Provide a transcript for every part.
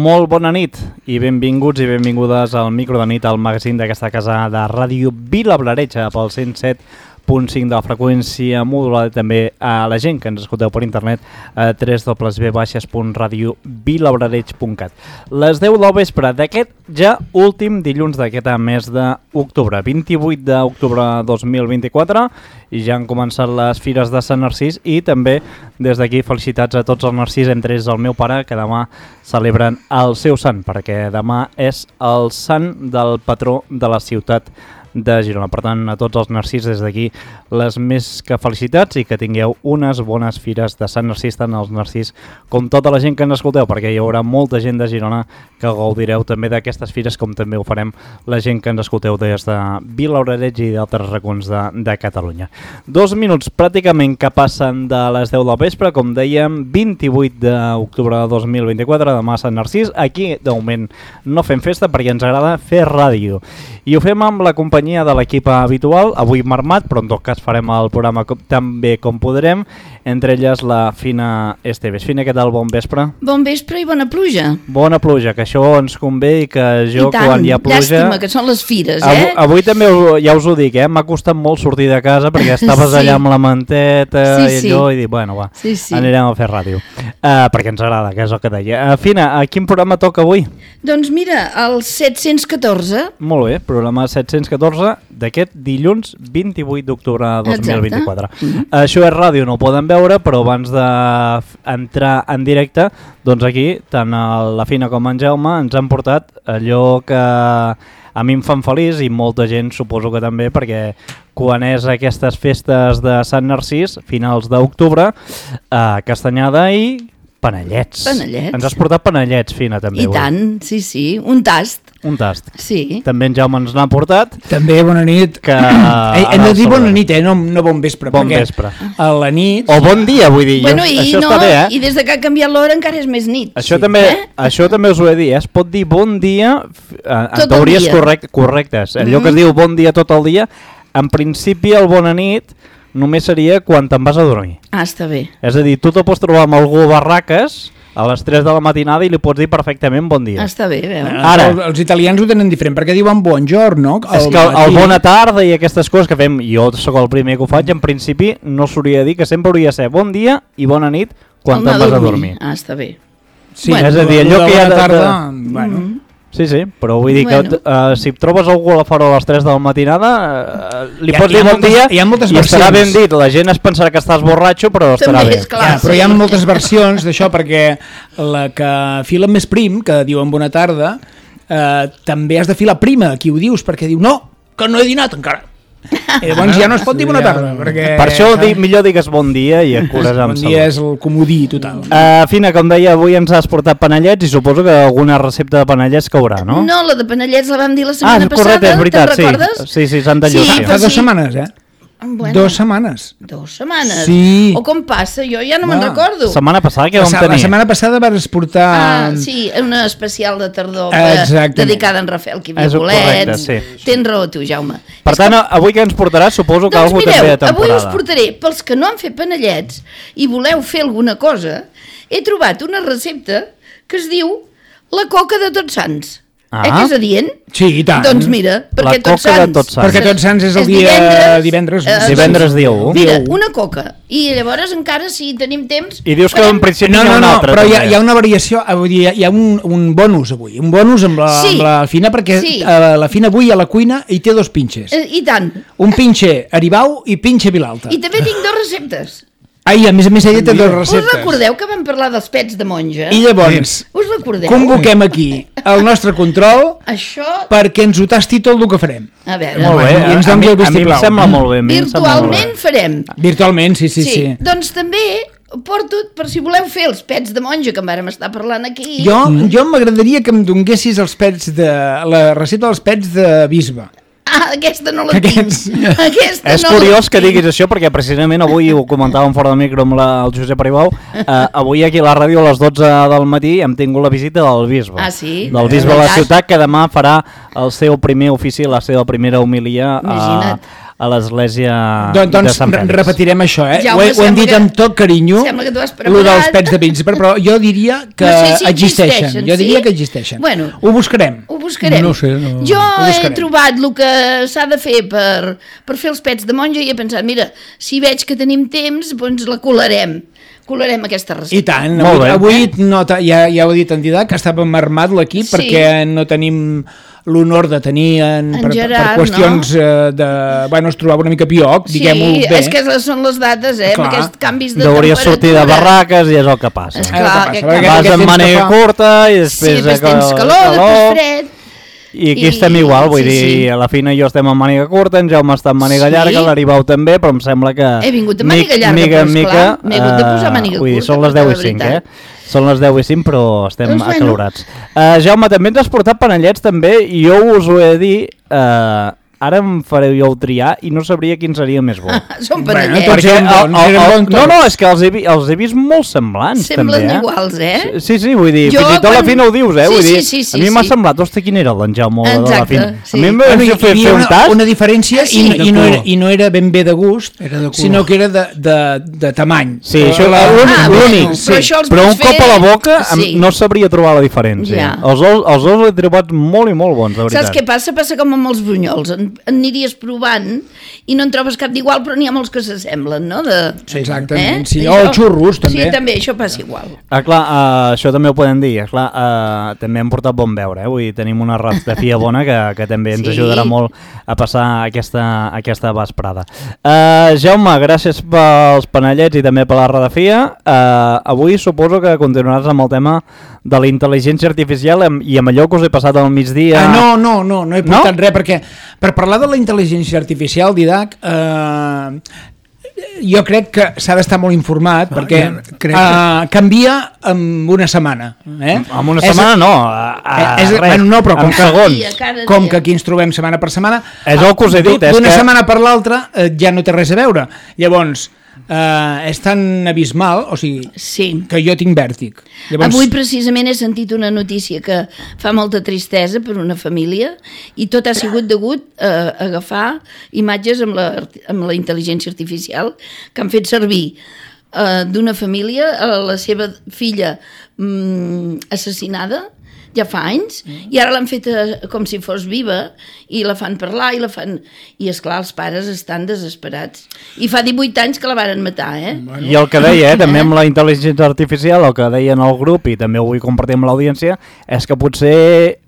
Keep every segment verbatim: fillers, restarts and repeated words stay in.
Molt bona nit i benvinguts i benvingudes al micro de nit, al magazín d'aquesta casa de ràdio Vilablareix pel cent set punt cinc de la freqüència modulada, també a la gent que ens escolteu per internet a w w w punt radio vilablareix punt cat. Les deu del vespre d'aquest ja últim dilluns d'aquest mes d'octubre, vint-i-vuit d'octubre de dos mil vint-i-quatre, i ja han començat les fires de Sant Narcís i també des d'aquí felicitats a tots els Narcís, entre ells el meu pare, que demà celebren el seu sant, perquè demà és el sant del patró de la ciutat de Girona. Per tant, a tots els Narcís des d'aquí les més que felicitats i que tingueu unes bones fires de Sant Narcís, tant els Narcís com tota la gent que ens escolteu, perquè hi haurà molta gent de Girona que gaudireu també d'aquestes fires, com també ho farem la gent que ens escolteu des de Vilablareix i d'altres racons de, de Catalunya. Dos minuts pràcticament que passen de les deu del vespre, com dèiem, vint-i-vuit d'octubre de dos mil vint-i-quatre, demà a Sant Narcís. Aquí, de moment, no fem festa perquè ens agrada fer ràdio. I ho fem amb la companyia de l'equip habitual, avui marmat, però en tot cas farem el programa com, tan bé com podrem, entre elles la Fina Esteves. Fina, què tal? Bon vespre. Bon vespre i bona pluja. Bona pluja, que això ens convé i que jo I tant, quan hi ha pluja... llàstima, que són les fires, eh? Avui, avui també ja us ho dic, eh? M'ha costat molt sortir de casa perquè estaves sí. allà amb la manteta sí, i allò, sí. i dic, bueno, va, sí, sí. anirem a fer ràdio. Uh, perquè ens agrada, que és el que deia. Uh, Fina, a quin programa toca avui? Doncs mira, el set-cents catorze. Molt bé, programa set-cents catorze d'aquest dilluns vint-i-vuit d'octubre de dos mil vint-i-quatre. Mm-hmm. Això és ràdio, no ho poden veure, però abans d'entrar en directe, doncs aquí, tant la Fina com en Jaume ens han portat allò que a mi em fan feliç i molta gent suposo que també, perquè quan és aquestes festes de Sant Narcís, finals d'octubre, eh, castanyada i panellets. Panellets. Ens has portat panellets, Fina, també. I avui. Tant, sí, sí, un tast. Un tast. Sí. També en Jaume ens n'ha portat. També, bona nit. Que, eh, hem de dir bona nit, eh? no, no bon vespre. Bon vespre. A la nit... O bon dia, vull dir. Bueno, jo, i, això no, està bé, eh? I des de que ha canviat l'hora encara és més nit. Això, sí. també, eh? això també us ho he de dir, eh? Es pot dir bon dia en tot teories dia. correct, correctes. Allò mm. que es diu bon dia tot el dia, en principi el bona nit només seria quan te'n vas a dormir. Ah, està bé. És a dir, tu te pots trobar amb algú a barraques a les tres de la matinada i li pots dir perfectament bon dia. Ah, està bé, veus? Ara, els, els italians ho tenen diferent, perquè diuen buongiorno. És que el, el bona tarda i aquestes coses que fem, jo sóc el primer que ho faig, en principi no s'hauria de dir, que sempre hauria de ser bon dia i bona nit quan te'n vas a dormir. Ah, està bé. Sí, bueno, és a dir, allò que hi ha de... tarda, de... bueno... Mm-hmm. Sí, sí, però vull dir bueno. que uh, si trobes algú a la fora a les tres de la matinada, uh, li pots dir bon moltes, dia hi ha moltes i versions. estarà ben dit. La gent es pensarà que estàs borratxo, però estarà També bé. és clar, ja, però hi ha moltes versions d'això, perquè la que fila més prim, que diuen bona tarda, eh, també has de filar prima, qui ho dius, perquè diu no, que no he dinat encara. I llavors ja no es pot dir bona tarda, perquè... Per això di, millor digues bon dia i et cures amb bon salut. dia és el comodí total. Uh, Fina, com deia, avui ens has portat panellets i suposo que alguna recepta de panellets caurà, no? No, la de panellets la vam dir la setmana ah, correcte, passada, és veritat, te'n recordes? Sí, sí, s'han de lluir. Sí, Fa dues sí. setmanes, eh? Bueno, Dos setmanes. Dos setmanes? Sí. O com passa? Jo ja no me'n Va. recordo. Setmana passada què vam La, tenir? la setmana passada vas portar... Ah, sí, una especial de tardor Exactament. dedicada a en Rafael que hi havia És correcte, bolets. sí. Tens raó tu, Jaume. Per tant, que... avui què ens portaràs? Suposo que Doncs algú mireu, també de temporada. avui us portaré, pels que no han fet panellets i voleu fer alguna cosa, he trobat una recepta que es diu la coca de Tots Sants. Ah. Eh que és adient? Sí, i tant. Doncs mira, perquè La Tots coca de Sants... Tots Sants. Perquè Tots Sants és el dia divendres. eh, Divendres dia u. Mira, Dia u. una coca. I llavors encara, si tenim temps... I dius que en principi No, hi ha no, una no, altra. però hi ha, també. hi ha una variació, vull dir, hi ha un, un bonus avui, un bonus amb la, Sí. amb la Fina, perquè Sí. eh, la Fina avui a la cuina hi té dos pinxes. Eh, I tant. Un pinxe Aribau i pinxe Vilalta. I també tinc dues receptes. Ai, a més a més ella té dues Us receptes. recordeu que vam parlar dels pets de monja? I llavors, Us recordeu? convoquem aquí el nostre control Això, perquè ens ho tasti tot el que farem. a veure, Molt bé, I ens a, doni mi, el a mi em vistiplau. sembla molt bé. a mi em sembla molt bé. virtualment farem. Virtualment, sí, sí, sí. Doncs també porto, per si voleu fer els pets de monja, que en vàrem estar parlant aquí. Jo, jo m'agradaria que em donessis els pets de... la recepta dels pets de bisbe. Ah, aquesta no la Aquests- tinc. Aquesta És no curiós la que tinc. diguis això, perquè precisament avui ho comentàvem fora de micro amb la, el Josep Aribau, eh, avui aquí a la ràdio a les dotze del matí hem tingut la visita del bisbe. Ah, sí? Del bisbe de la Veritat? ciutat, que demà farà el seu primer ofici, la seva primera homilia a, Imagina't. a l'església Don, doncs, de Sant Fèlix. Repetirem això, eh? Jaume, ho, he, ho hem dit que, amb tot carinyo, lo dels pets de príncipe, però jo diria que no sé si existeixen. existeixen. Jo diria sí? que existeixen. Bueno, ho buscarem. Ho buscarem. No sé, no, jo ho buscarem. he trobat el que s'ha de fer per, per fer els pets de monja i he pensat, mira, si veig que tenim temps, doncs la colarem. Colarem aquesta recepta. I tant, Molt avui, bé. avui no, ja, ja ho he dit en Didac, que estàvem armat l'equip Sí. perquè no tenim l'honor de tenir en, En per, Gerard, per qüestions no? eh, de... Bueno, es trobava una mica pioc, Sí, diguem-ho bé. és que són les dates, eh? Clar. Amb aquests canvis de Hauries temperatura. sortir de barraques i és el que passa. És Eh, clar, el que que passa, perquè Vas aquest amb temps màniga que fa- curta i Sí, després... després tens calor, després fred. I aquí I- estem igual, vull sí, dir, sí. a la Fina i jo estem amb màniga curta, en Jaume està amb màniga Sí. llarga, l'Aribau també, però em sembla que... He vingut amb màniga mic- llarga, mica però en esclar, mica, m'he hagut de posar eh, màniga vull dir, curta, són les perquè deu la i cinc, eh? veritat. Són les deu i cinc, però estem Doncs bueno. acalorats. Uh, Jaume, també ens has portat panellets, també, i jo us ho he de dir... Uh, ara em fareu jo triar i no sabria quin seria més bo. Són Bueno, panellets. tots Perquè eren el, bons, el, eren el, bons no, tots. no, és que els he, vi- els he vist molt semblants, Semblen també, eh? iguals, eh? Sí, sí, vull dir, Jo fins i tot a la quan- Fina ho dius, eh? Sí, vull dir, sí, sí, sí, a mi m'ha sí. semblat, hosti, quin era l'en Jaume de la Exacte, Fina? sí. A mi em Bueno, va hi, fer, hi fer havia un una, tas... una diferència Sí. i, De i, no era, color. i no era ben bé de gust, Era de color. sinó que era de, de, de tamany. Sí, això la, és l'únic, Ah, l'únic, bueno, sí. però això els Però un pots cop fer- a la boca em- Sí. no sabria trobar la diferència. Ja. Els dos, els dos l'he trobat molt i molt bons, de veritat. Saps què passa? Passa com amb els brunyols. En, en aniries provant i no en trobes cap d'igual, però n'hi ha molts que s'assemblen, no? De, Sí, exactament, sí. I O això- els xurros, també. Sí, també, això passa igual. Ah, clar, uh, això també ho podem dir. Clar, uh, també hem portat bon veure, eh? Vull dir, tenim una rastafia bona que, que també ens Sí. ajudarà molt a passar aquesta, aquesta vesprada. Uh, Jaume, gràcies pels panellets i també per la radiografia. Uh, avui suposo que continuaràs amb el tema de la intel·ligència artificial amb- i amb allò que us he passat al migdia. Ah, no, no, no, no he portat No? res, perquè per parlar de la intel·ligència artificial, Didac, eh, jo crec que s'ha d'estar molt informat, perquè jo crec eh, canvia en una setmana. Eh? En una És- setmana no, a, a és, res, bueno, no, però com en que, segons. Dia, cada com dia. que aquí ens trobem setmana per setmana, És el que us he dit, és d'una que- setmana per l'altra eh, ja no té res a veure. Llavors, eh, és tan abismal, o sigui, Sí. que jo tinc vèrtic. Llavors, Avui precisament he sentit una notícia que fa molta tristesa per una família i tot ha sigut degut a agafar imatges amb la, amb la intel·ligència artificial que han fet servir eh, d'una família a la seva filla mm, assassinada ja fa anys, i ara l'han fet eh, com si fos viva, i la fan parlar, i la fan... I, esclar, els pares estan desesperats. I fa divuit anys que la varen matar, eh? I el que deia, eh, també amb la intel·ligència artificial, el que deia en el grup, i també ho vull compartir amb l'audiència, és que potser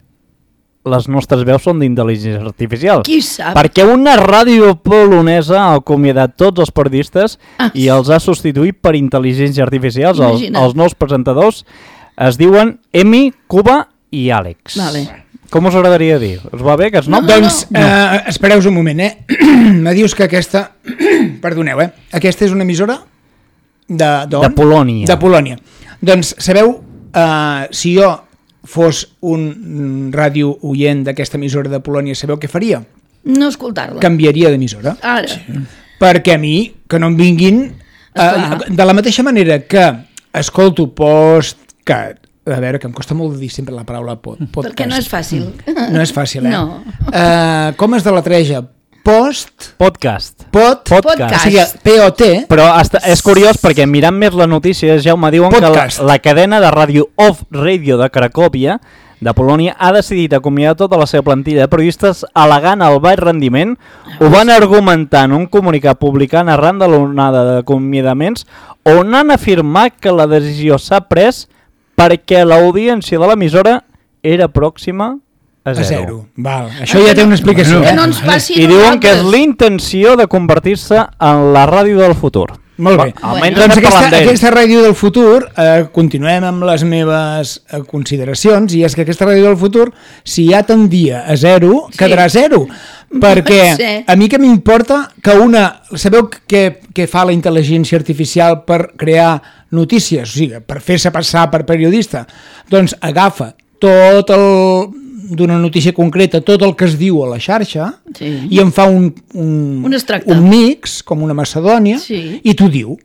les nostres veus són d'intel·ligència artificial. Qui sap? Perquè una ràdio polonesa ha acomiadat tots els periodistes Ah. i els ha substituït per intel·ligència artificial. Els, Imagina't. els nous presentadors es diuen Emi, Cuba i Àlex. Vale. Com us agradaria dir? Us va bé aquests noms? No, Doncs, eh, espereu un moment, eh? Me dius que aquesta... Perdoneu, eh? Aquesta és una emissora de... d'on? De Polònia. De Polònia. Doncs, sabeu, eh, si jo fos un ràdio oient d'aquesta emissora de Polònia, sabeu què faria? No escoltar-la. Canviaria d'emissora. Ara. Perquè a mi, que no em vinguin... Eh, Esclar. de la mateixa manera que escolto postcat, a veure, que em costa molt dir sempre la paraula pod, podcast. Perquè no és fàcil. No és fàcil, eh? No. Uh, com es deletreja? Post, Podcast. pot, Podcast. o sigui, P O T, Però hasta, és curiós perquè mirant més la notícia, Jaume, diuen Podcast. que la, la cadena de ràdio Off Radio de Cracòvia, de Polònia, ha decidit acomiadar tota la seva plantilla de periodistes al·legant el baix rendiment. Ho van argumentar en un comunicat publicat arran de l'onada d'acomiadaments, on han afirmat que la decisió s'ha pres perquè l'audiència de l'emissora era pròxima a a zero. zero. Val. Això ja té una explicació. Que Eh? no ens passi I diuen que és nosaltres. l'intenció de convertir-se en la ràdio del futur. Molt bé. Bueno, almenys doncs estem aquesta, parlant d'ells. aquesta ràdio del futur, eh, continuem amb les meves eh, consideracions, i és que aquesta ràdio del futur, si ja tendia a zero, Sí. quedarà a zero. Perquè Sí. a mi que m'importa que una... Sabeu què, què fa la intel·ligència artificial per crear notícies? O sigui, per fer-se passar per periodista? Doncs agafa tot el d'una notícia concreta, tot el que es diu a la xarxa, Sí. i en fa un, un, Un extracte. un mix, com una macedònia, Sí. i t'ho diu.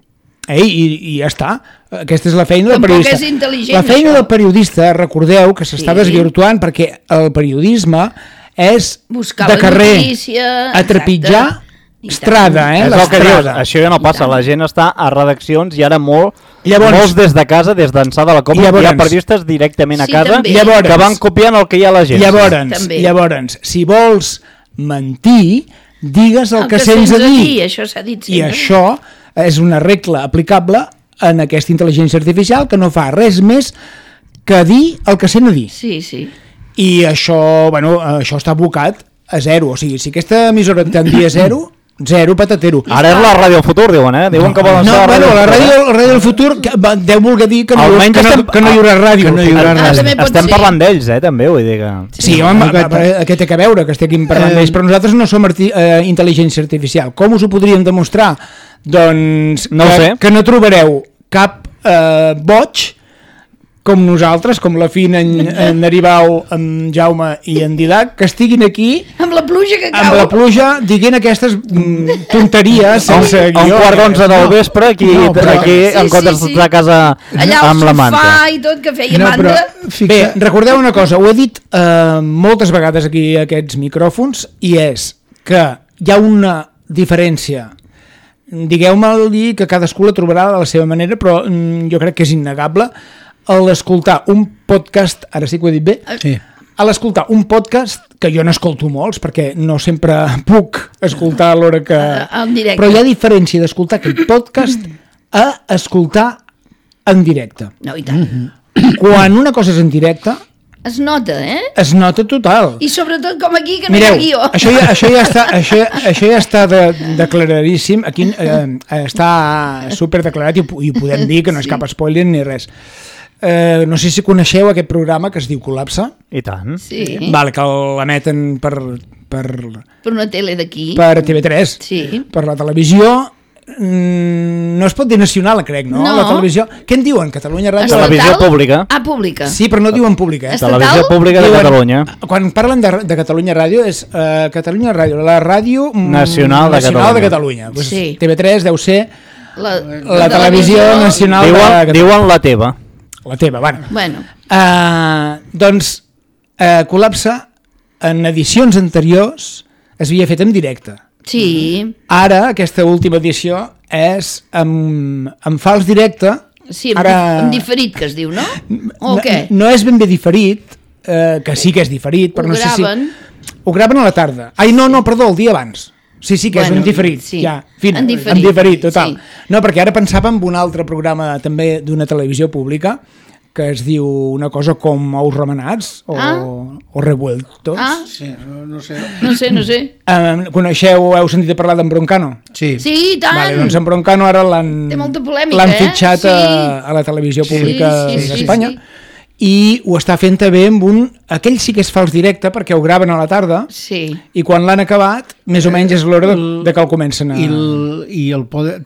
Eh? I, I ja està. Aquesta és la feina del Tampoc periodista. és intel·ligent, la feina això. del periodista, recordeu que s'està Sí. desvirtuant, perquè el periodisme és Buscar de la carrer, notícia, a trepitjar exacte. Estrada, eh? És el que dius, L'estrada. això ja no passa, la gent està a redaccions i ara molt, Llavors- molts des de casa, des d'ençà de la Copa, Llavors- hi ha periodistes directament a Sí, casa també. Llavors- que van copiant el que hi ha a l'agència. Llavors, També. llavors, si vols mentir, digues el, El que sents a dir. Això s'ha dit I sempre. això és una regla aplicable en aquesta intel·ligència artificial que no fa res més que dir el que sent a dir. Sí, sí. I això, bueno, això està abocat a zero. O sigui, si aquesta emissora tendia zero, zero patatero. Ara és la ràdio del futur, diuen, eh? Diuen que volen No, ser bueno, la del ràdio, futur, la ràdio del futur que, va, deu voler dir que no, Almenys que no, estem- que no hi haurà ràdio. que no hi haurà Ah, res. també eh? pot Estem ser. parlant d'ells, eh, també, vull dir que... Sí, home, Aquest- aquest té que veure que estiguem parlant Eh, d'ells, però nosaltres no som arti eh, intel·ligència artificial. Com us ho podríem demostrar? Doncs No ho que, sé. que no trobareu cap eh, boig com nosaltres, com la Fina, en, en Aribau, en Jaume i en Didac, que estiguin aquí Amb la pluja que cau. amb la pluja dient aquestes mm, tonteries sense A un guió. quart d'onze del No. vespre, aquí, No, però- aquí Sí, en sí, comptes sí. d'estar a casa Allà al amb la manta. sofà i tot, que feia No, manta. però Bé, fixa... recordeu una cosa, ho he dit eh, moltes vegades aquí a aquests micròfons, i és que hi ha una diferència. Digueu-me que cadascú la trobarà de la seva manera, però mm, jo crec que és innegable a l'escoltar un podcast, ara sí que ho he dit bé, Sí. a l'escoltar un podcast, que jo n'escolto molts, perquè no sempre puc escoltar a l'hora que... A- en directe. Però hi ha diferència d'escoltar aquell podcast a escoltar en directe. No, i tant. Quan una cosa és en directe, Es nota, eh? es nota total. I sobretot com aquí, que no Mireu, hi ha guió. això ja, això ja està, això, això ja està de, declaradíssim, aquí eh, està super declarat i, ho- i ho podem dir, que no és Sí. cap spoiler ni res. Eh, no sé si coneixeu aquest programa que es diu Col·lapse, I tant. Sí, vale, que l'emeten per, per, per una tele d'aquí. per T V tres, Sí. per la televisió. Mm, no es pot dir nacional, crec, no? No. La televisió. Què en diuen? Catalunya Ràdio? Estatal? Televisió pública. Ah, pública. Sí, però no diuen pública, eh? Estatal? Televisió Pública de Diuen- Catalunya. Quan parlen de, de Catalunya Ràdio és uh, Catalunya Ràdio, la ràdio mm, Nacional de nacional de Catalunya. Catalunya. Pues Sí. T V tres deu ser La, la televisió nacional de Diuen, Catalunya. diuen la teva. La teva, bueno. Bueno, Uh, doncs, uh, Col·lapse, en edicions anteriors, es havia fet en directe. sí. Ara, aquesta última edició és amb, amb fals directe. Sí, amb, Ara- amb diferit, que es diu, no? O no, què? no és ben bé diferit, eh, que sí que és diferit, però Ho no sé si... graven. Ho graven a la tarda. Ai, no, no, perdó, el dia abans. Sí, sí, que Bueno, és un diferit. sí, Ja, fina, en diferit, en diferit, total. sí. No, perquè ara pensava en un altre programa també d'una televisió pública que es diu una cosa com Ous remenats o, Ah. o revueltos. Ah, Sí, no, no sé. no sé, no sé. Eh, coneixeu, heu sentit a parlar d'en Broncano? Sí. Sí, i tant. Vale, doncs en Broncano ara l'han Té molta polèmica, l'han eh? fitxat Sí. a, a la televisió Sí, pública sí, sí, d'Espanya. sí. I ho està fent també amb un... Aquell sí que és fals directe perquè ho graven a la tarda Sí. i quan l'han acabat, més o menys és l'hora de, de que el comencen a... I el, i el poder,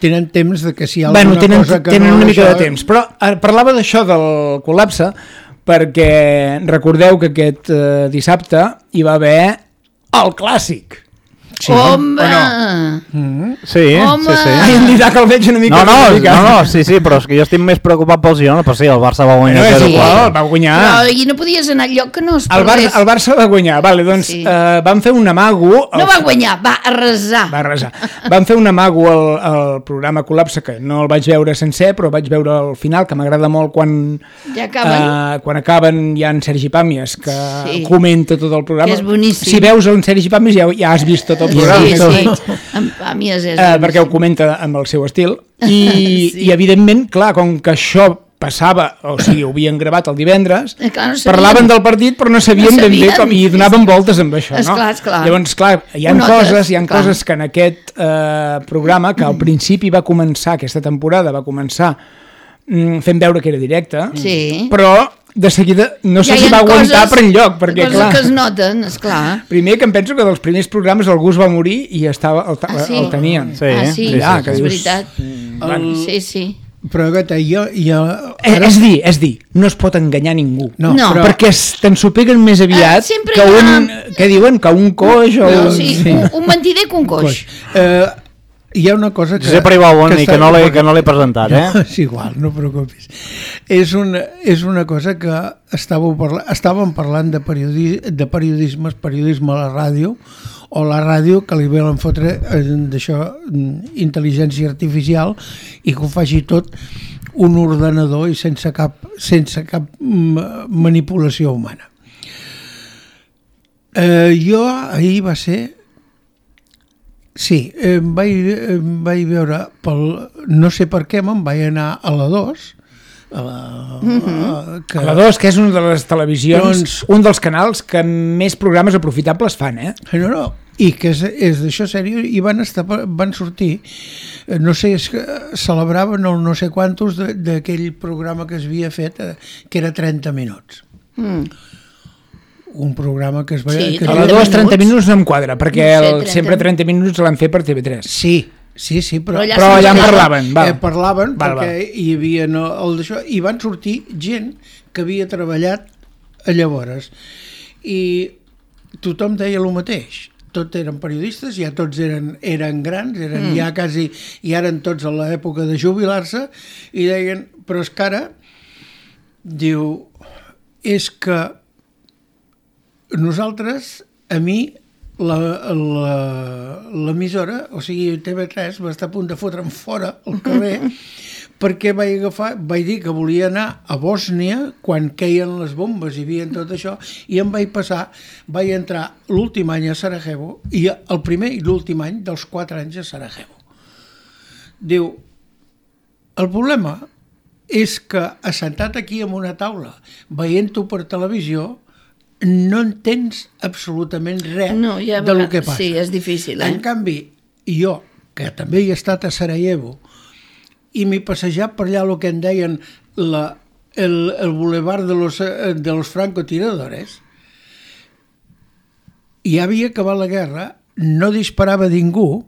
tenen temps de que si hi ha Bueno, alguna tenen, cosa que tenen no... una mica això- de temps. Però eh, parlava d'això del col·lapse perquè recordeu que aquest eh, dissabte hi va haver el clàssic. Sí, Home! Sí, Home! sí, sí. Ai, en Didac el veig una mica... No, no, una mica. no, no, sí, sí, però és que jo estic més preocupat pel Girona, però sí, el Barça va guanyar No, és zero igual, quatre. va guanyar. Però i no podies anar al lloc que no es El, Bar perdés. el Barça va guanyar, vale, doncs Sí. eh, van fer un amago... No va guanyar, va arrasar. Va arrasar. Van fer un amago al, al programa Col·lapse, que no el vaig veure sencer, però vaig veure al final, que m'agrada molt quan, Ja acaben. eh, quan acaben hi ha en Sergi Pàmies, que Sí. comenta tot el programa. Que és boníssim. Si veus en Sergi Pàmies ja, ja has vist tot el programa. Sí, sí. Amb Pàmies és... Eh, perquè ho comenta amb el seu estil. I, Sí. i evidentment, clar, com que això passava, o sigui, ho havien gravat el divendres, Eh, clar, no sabien. parlaven del partit però no sabien, No ben bé sabien. com, i donaven voltes amb això, no? Esclar, esclar. Llavors, clar, hi ha Ho notes, coses, hi ha clar. coses que en aquest eh, programa, que al principi va començar, aquesta temporada va començar mm, fent veure que era directe, Sí. però de seguida no sé Ja hi si ha va aguantar coses- per enlloc, perquè coses clar... que es noten, esclar. Primer que em penso que dels primers programes algú es va morir i estava, el, Ah, sí? el tenien. Sí, ah, sí, sí, sí, que és dius- veritat. El- Sí, sí. Però Gata, jo... jo Eh, és dir, és dir, no es pot enganyar ningú. no, No. però, Perquè es- t'ensopeguen més aviat Ah, sempre que hi ha- un... Què diuen? Que un coix o No, un... sí, sí. Un, un mentider que un coix. coix. Eh, hi ha una cosa que... Josep Aribau, i està- que no l'he que no l'he presentat, eh? No, és igual, no preocupis. És una, és una cosa que estàveu parla, estàvem parlant de, periodi, de periodisme, periodisme a la ràdio, o la ràdio, que li volen fotre eh, d'això, intel·ligència artificial, i que ho faci tot un ordenador i sense cap, sense cap manipulació humana. Eh, jo ahir va ser... Sí, em vaig, em vaig veure, pel, no sé per què me'n vaig anar a la dos, a la, mm-hmm. a, que, a la dos, que és una de les televisions, doncs, un dels canals que més programes aprofitables fan, eh? No, no, i que és, és d'això seriós, i van, estar, van sortir, no sé, és que celebraven el no sé quantos d'aquell programa que es havia fet, que era trenta minuts. Mm. Un programa que es va... Sí, que a la dos, trenta minuts no em quadra, perquè no sé, el, sempre trenta minuts l'han fet per T V tres. Sí, sí, sí, però, però allà, però allà en parlaven. Val. Eh, parlaven val, perquè val. hi havia no, el d'això, i van sortir gent que havia treballat a llavors. I tothom deia el mateix. Tots eren periodistes, ja tots eren, eren grans, eren mm. ja quasi, ja eren tots a l'època de jubilar-se, i deien, però és que ara, diu, és que nosaltres, a mi, l'emissora, o sigui, T V tres, va estar a punt de fotre'm fora al carrer perquè vaig agafar, vaig dir que volia anar a Bòsnia quan queien les bombes i hi havia tot això, i em vaig passar, vaig entrar l'últim any a Sarajevo, i el primer i l'últim any dels quatre anys a Sarajevo. Diu, el problema és que assentat aquí en una taula, veient-ho per televisió, no entens absolutament res no, ja del que passa. Sí, és difícil. Eh? En canvi, jo, que també he estat a Sarajevo, i m'he passejat per allà el que en deien la, el, el boulevard de los, de los francotiradores, i ja havia acabat la guerra, no disparava ningú,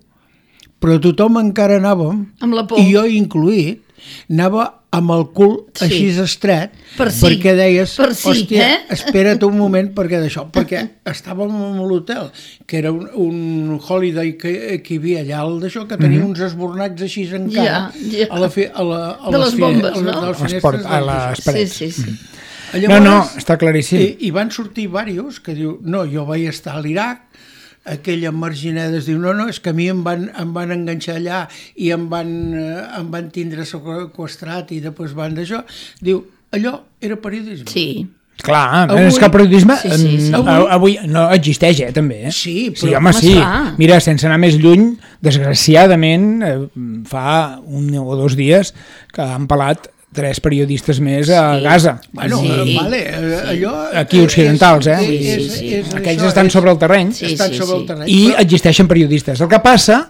però tothom encara anàvem, amb la por. I jo incluït, anava amb el cul sí. així estret, per sí. perquè deies, per sí, hòstia, eh? espera't un moment perquè d'això, perquè estàvem en l'hotel, que era un, un holiday que, que hi havia allà, el d'això, que tenia mm-hmm. uns esbornats així encara, ja, ja. a la fi, a la, a de les bombes, fine, no? A les finestres. A les parets. Sí, sí, sí. Mm. Llavors, no, no, està claríssim. I, i van sortir diversos que diu, no, jo vaig estar a l'Iraq, aquella marginedes diu, no, no, és que a mi em van, em van enganxar allà i em van, em van tindre seqüestrat i després van d'això. Diu, allò era periodisme. Sí. Clar, avui, és que el periodisme sí, sí, sí. Avui, avui no existeix, eh, també. Eh? Sí, però... Sí, home, sí. Mira, sense anar més lluny, desgraciadament, eh, fa un o dos dies que han pelat tres periodistes més a sí. Gaza. Bueno, sí. vale, allò... Aquí occidentals, eh? Sí, sí, sí. És, Aquells estan és, sobre el terreny. Sí, estan sí, sobre sí. el terreny. I però... existeixen periodistes. El que passa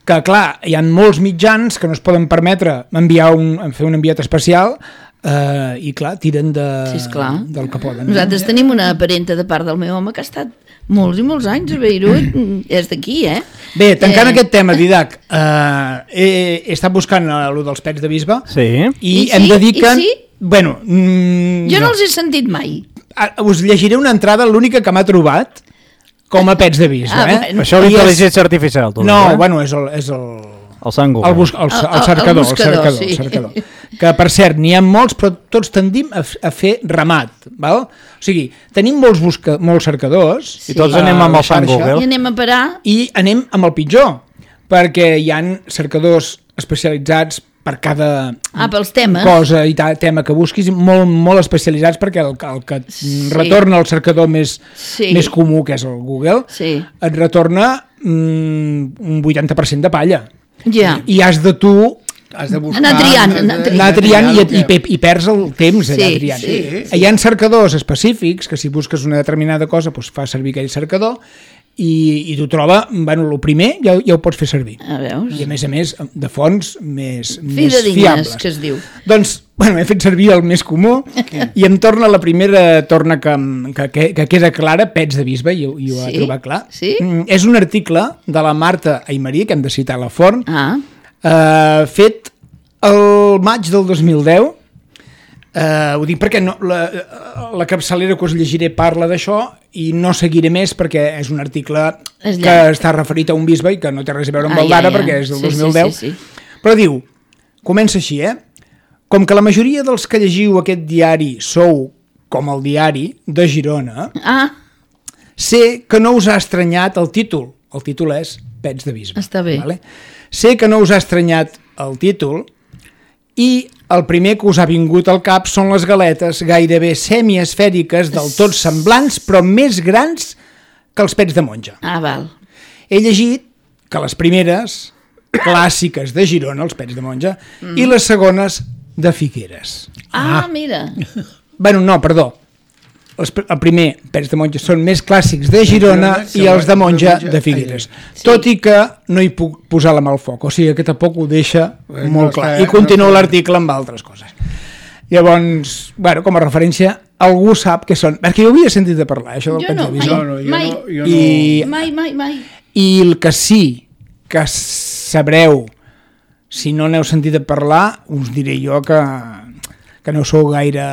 que, clar, hi ha molts mitjans que no es poden permetre enviar un, fer un enviat especial eh, i, clar, tiren de, sí, del que poden. Nosaltres tenim una parenta de part del meu home que ha estat molts i molts anys a Beirut, és d'aquí, eh? Bé, tancant eh... aquest tema, Didac, eh, he, he estat buscant allò dels pets de bisbe sí. i, I hem sí? de dir que... I sí? Bueno, mm, jo no. no els he sentit mai. Us llegiré una entrada, l'única que m'ha trobat com a pets de bisbe. Ah, eh? bueno. Això és intel·ligència artificial. Tot, no, eh? bueno, és el... És el... El sango. El, bus, el, el, el cercador, el, buscador, el cercador, sí. el cercador. Que, per cert, n'hi ha molts, però tots tendim a, a fer ramat. Val? O sigui, tenim molts, busca, molts cercadors. Sí. I tots anem amb el fan Google. I anem a parar. I anem amb el pitjor, perquè hi han cercadors especialitzats per cada ah, pels temes. cosa i ta, tema que busquis, molt, molt especialitzats, perquè el, el que sí. retorna el cercador més, sí. més comú, que és el Google, sí. et retorna mm, un vuitanta per cent de palla. Ja. I has de tu has de buscar, anar triant, anar, anar triant, anar triant i, i, i, i perds el temps sí, allà triant. Sí, sí. Hi ha cercadors específics que si busques una determinada cosa doncs fa servir aquell cercador i, i t'ho troba, bueno, el primer ja, ja ho pots fer servir. A veus? I a més a més de fonts més, més fiables, fiables. Que es diu. Doncs, bueno, he fet servir el més comú i em torna la primera torna que, que, que queda clara, pets de bisbe, i, i ho sí? ha trobat clar. Sí? Mm, és un article de la Marta Aymarí, que hem de citar a la font, ah. Uh, fet el maig del dos mil deu. Uh, ho dic perquè no, la, la capçalera que us llegiré parla d'això i no seguiré més perquè és un article és que està referit a un bisbe i que no té res a veure amb ah, el d'ara, ja, ja. perquè és del sí, dos mil deu. Sí, sí, sí. Però diu, comença així, eh? Com que la majoria dels que llegiu aquest diari sou com el diari de Girona, ah. sé que no us ha estranyat el títol, el títol és Pets de bisbe. Està bé. Vale? Sé que no us ha estranyat el títol i el primer que us ha vingut al cap són les galetes gairebé semiesfèriques del tot semblants però més grans que els pets de monja. Ah, val. He llegit que les primeres clàssiques de Girona, els pets de monja, mm. i les segones de Figueres. Ah, ah. mira. Bueno, no, perdó. Els, el primer, pets de monja, són més clàssics de Girona i els de monja de Figueres. Sí. Tot i que no hi puc posar la mà al foc, o sigui que tampoc ho deixa eh, molt no clar. I continua no l'article amb altres coses. Llavors, bueno, com a referència, algú sap què són. Perquè jo havia sentit de parlar, això del jo no, pets de mai, no, no, mai. No, jo I, no. mai, mai, mai. I el que sí que sabreu, si no n'heu sentit a parlar, us diré jo que, que no sou gaire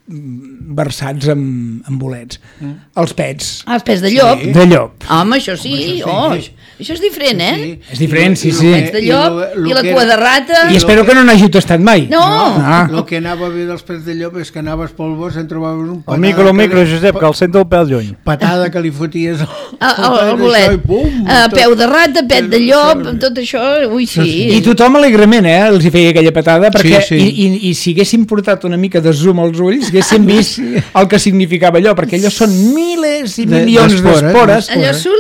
versats en, en bolets. Mm. Els pets. Ah, els pets de llop? Sí. De llop. Home, això sí. Home, això sí. Oh, això és diferent, eh? Sí. És diferent, sí, sí. Els pets de llop i, lo, lo i la cua de rata. I espero que no n'hàgiu tastat mai. No. no ah. El que anava bé dels pets de llop és que anaves pel bosc i en trobaves un patada... El micro, el micro, li... Josep, que el sento el pèl lluny. Patada que li foties al, el, el, el bolet. I pum, uh, peu de rata, pet de llop, tot això, ui, sí. I tothom alegrement, eh, els hi feia aquella patada, perquè sí, sí. I, i, i si haguéssim portat una mica de zoom als ulls, haguéssim vist el que significava allò, perquè allò són milers i milions d'espores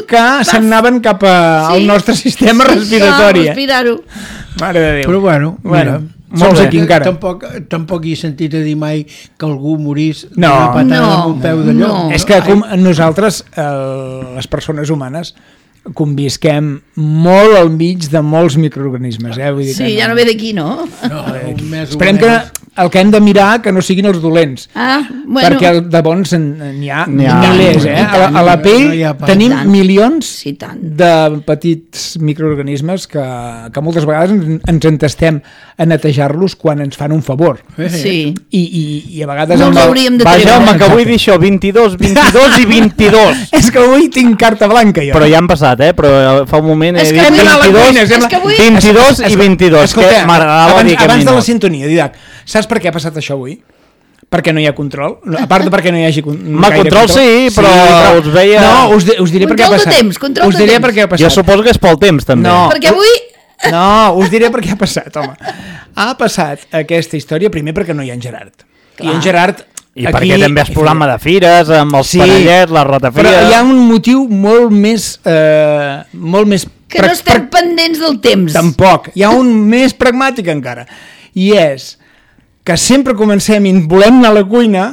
que s'anaven cap al nostre sistema respiratori. Ah, respirar-ho. Mare de Déu. Però bueno, bueno mira, molts aquí encara. Tampoc, tampoc he sentit a dir mai que algú morís no, d'una patada no, amb un peu de llop. No. És que com nosaltres, eh, les persones humanes, convisquem molt al mig de molts microorganismes. Eh? Vull dir sí, que no. Ja no ve d'aquí, no? No, més esperem que el que hem de mirar que no siguin els dolents. Ah, bueno. Perquè de bons n'hi ha, ha milers. Eh? A, la, a la pell no tenim tant. milions sí, tant. de petits microorganismes que, que moltes vegades ens, ens entestem a netejar-los quan ens fan un favor. Sí. I, i, i a vegades... No els hauríem de treure. Vaja, home, que vull dir això, vint-i-dos, vint-i-dos i vint-i-dos. És que avui tinc carta blanca, jo. Però ja han passat, eh? Però fa un moment he dit vint-i-dos, vint-i-dos i vint-i-dos. Escolta, abans, abans de la sintonia, Didac, saps per què ha passat això avui? Perquè no hi ha control. A part de perquè no hi hagi Ma control, control sí, però, sí, però us veia... No, us, de, us diré control per què ha passat. Temps, control us diré de per què ha passat. Jo suposo que és pel temps, també. No, perquè avui... No, us diré per què ha passat, home. Ha passat aquesta història primer perquè no hi ha en Gerard. Clar. I en Gerard... I aquí, perquè també és programa de fires, amb els sí, panellets, la ratafira... Però hi ha un motiu molt més... Eh, molt més que no estem pendents del temps. Tampoc. Hi ha un més pragmàtic encara. I és que sempre comencem i volem anar a la cuina,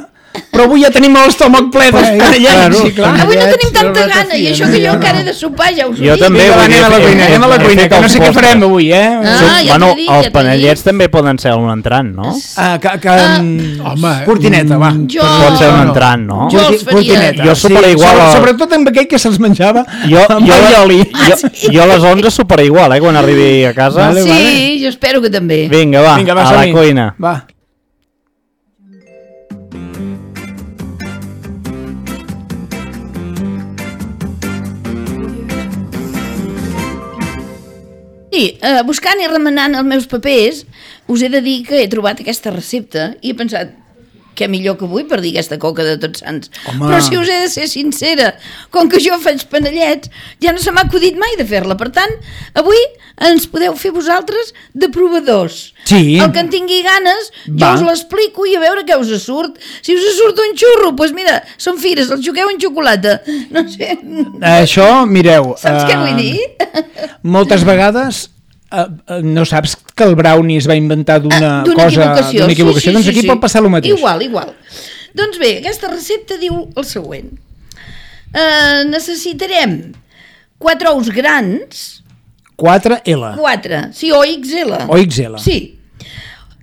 però avui ja tenim l'estómac ple d'espanellets. Sí, clar. Avui no tenim tanta gana, i això que jo encara he de sopar, ja us ho dic. Jo també. Vinga, anem a la cuina, anem a la cuina, que no sé què farem avui, eh? Ah, ja bueno, dit, els ja panellets també poden ser un entrant, no? Ah, que, que, ah, home, cortineta, va. Jo... Pot ser un entrant, no? Jo els faria. Cortineta. Jo soparé sí, igual. Sobre, sobretot amb aquell que se'ls menjava jo, amb jo, oli. Jo, jo a les onze soparé igual, eh, quan arribi a casa. Vale, sí, vale. Jo espero que també. Vinga, va, Vinga, va a la cuina. Va. Sí, eh, buscant i remenant els meus papers, us he de dir que he trobat aquesta recepta i he pensat, què millor que avui per dir aquesta coca de Tots Sants. Home. Però si us he de ser sincera, com que jo faig panellets, ja no se m'ha acudit mai de fer-la. Per tant, avui ens podeu fer vosaltres de provadors. Sí. El que en tingui ganes, Va. jo us l'explico i a veure què us surt. Si us surt un xurro, doncs mira, són fires, el jugueu en xocolata. No sé. Això, mireu... Saps uh, què vull eh, dir? Moltes vegades... Uh, uh, no saps que el brownie es va inventar d'una uh, cosa, equivocació, d'una equivocació? Sí, sí, doncs sí, aquí sí. pot passar el mateix. Igual, igual. Doncs bé, aquesta recepta diu el següent. Uh, necessitarem quatre ous grans. quatre L. quatre, sí, o X L. O X L. Sí.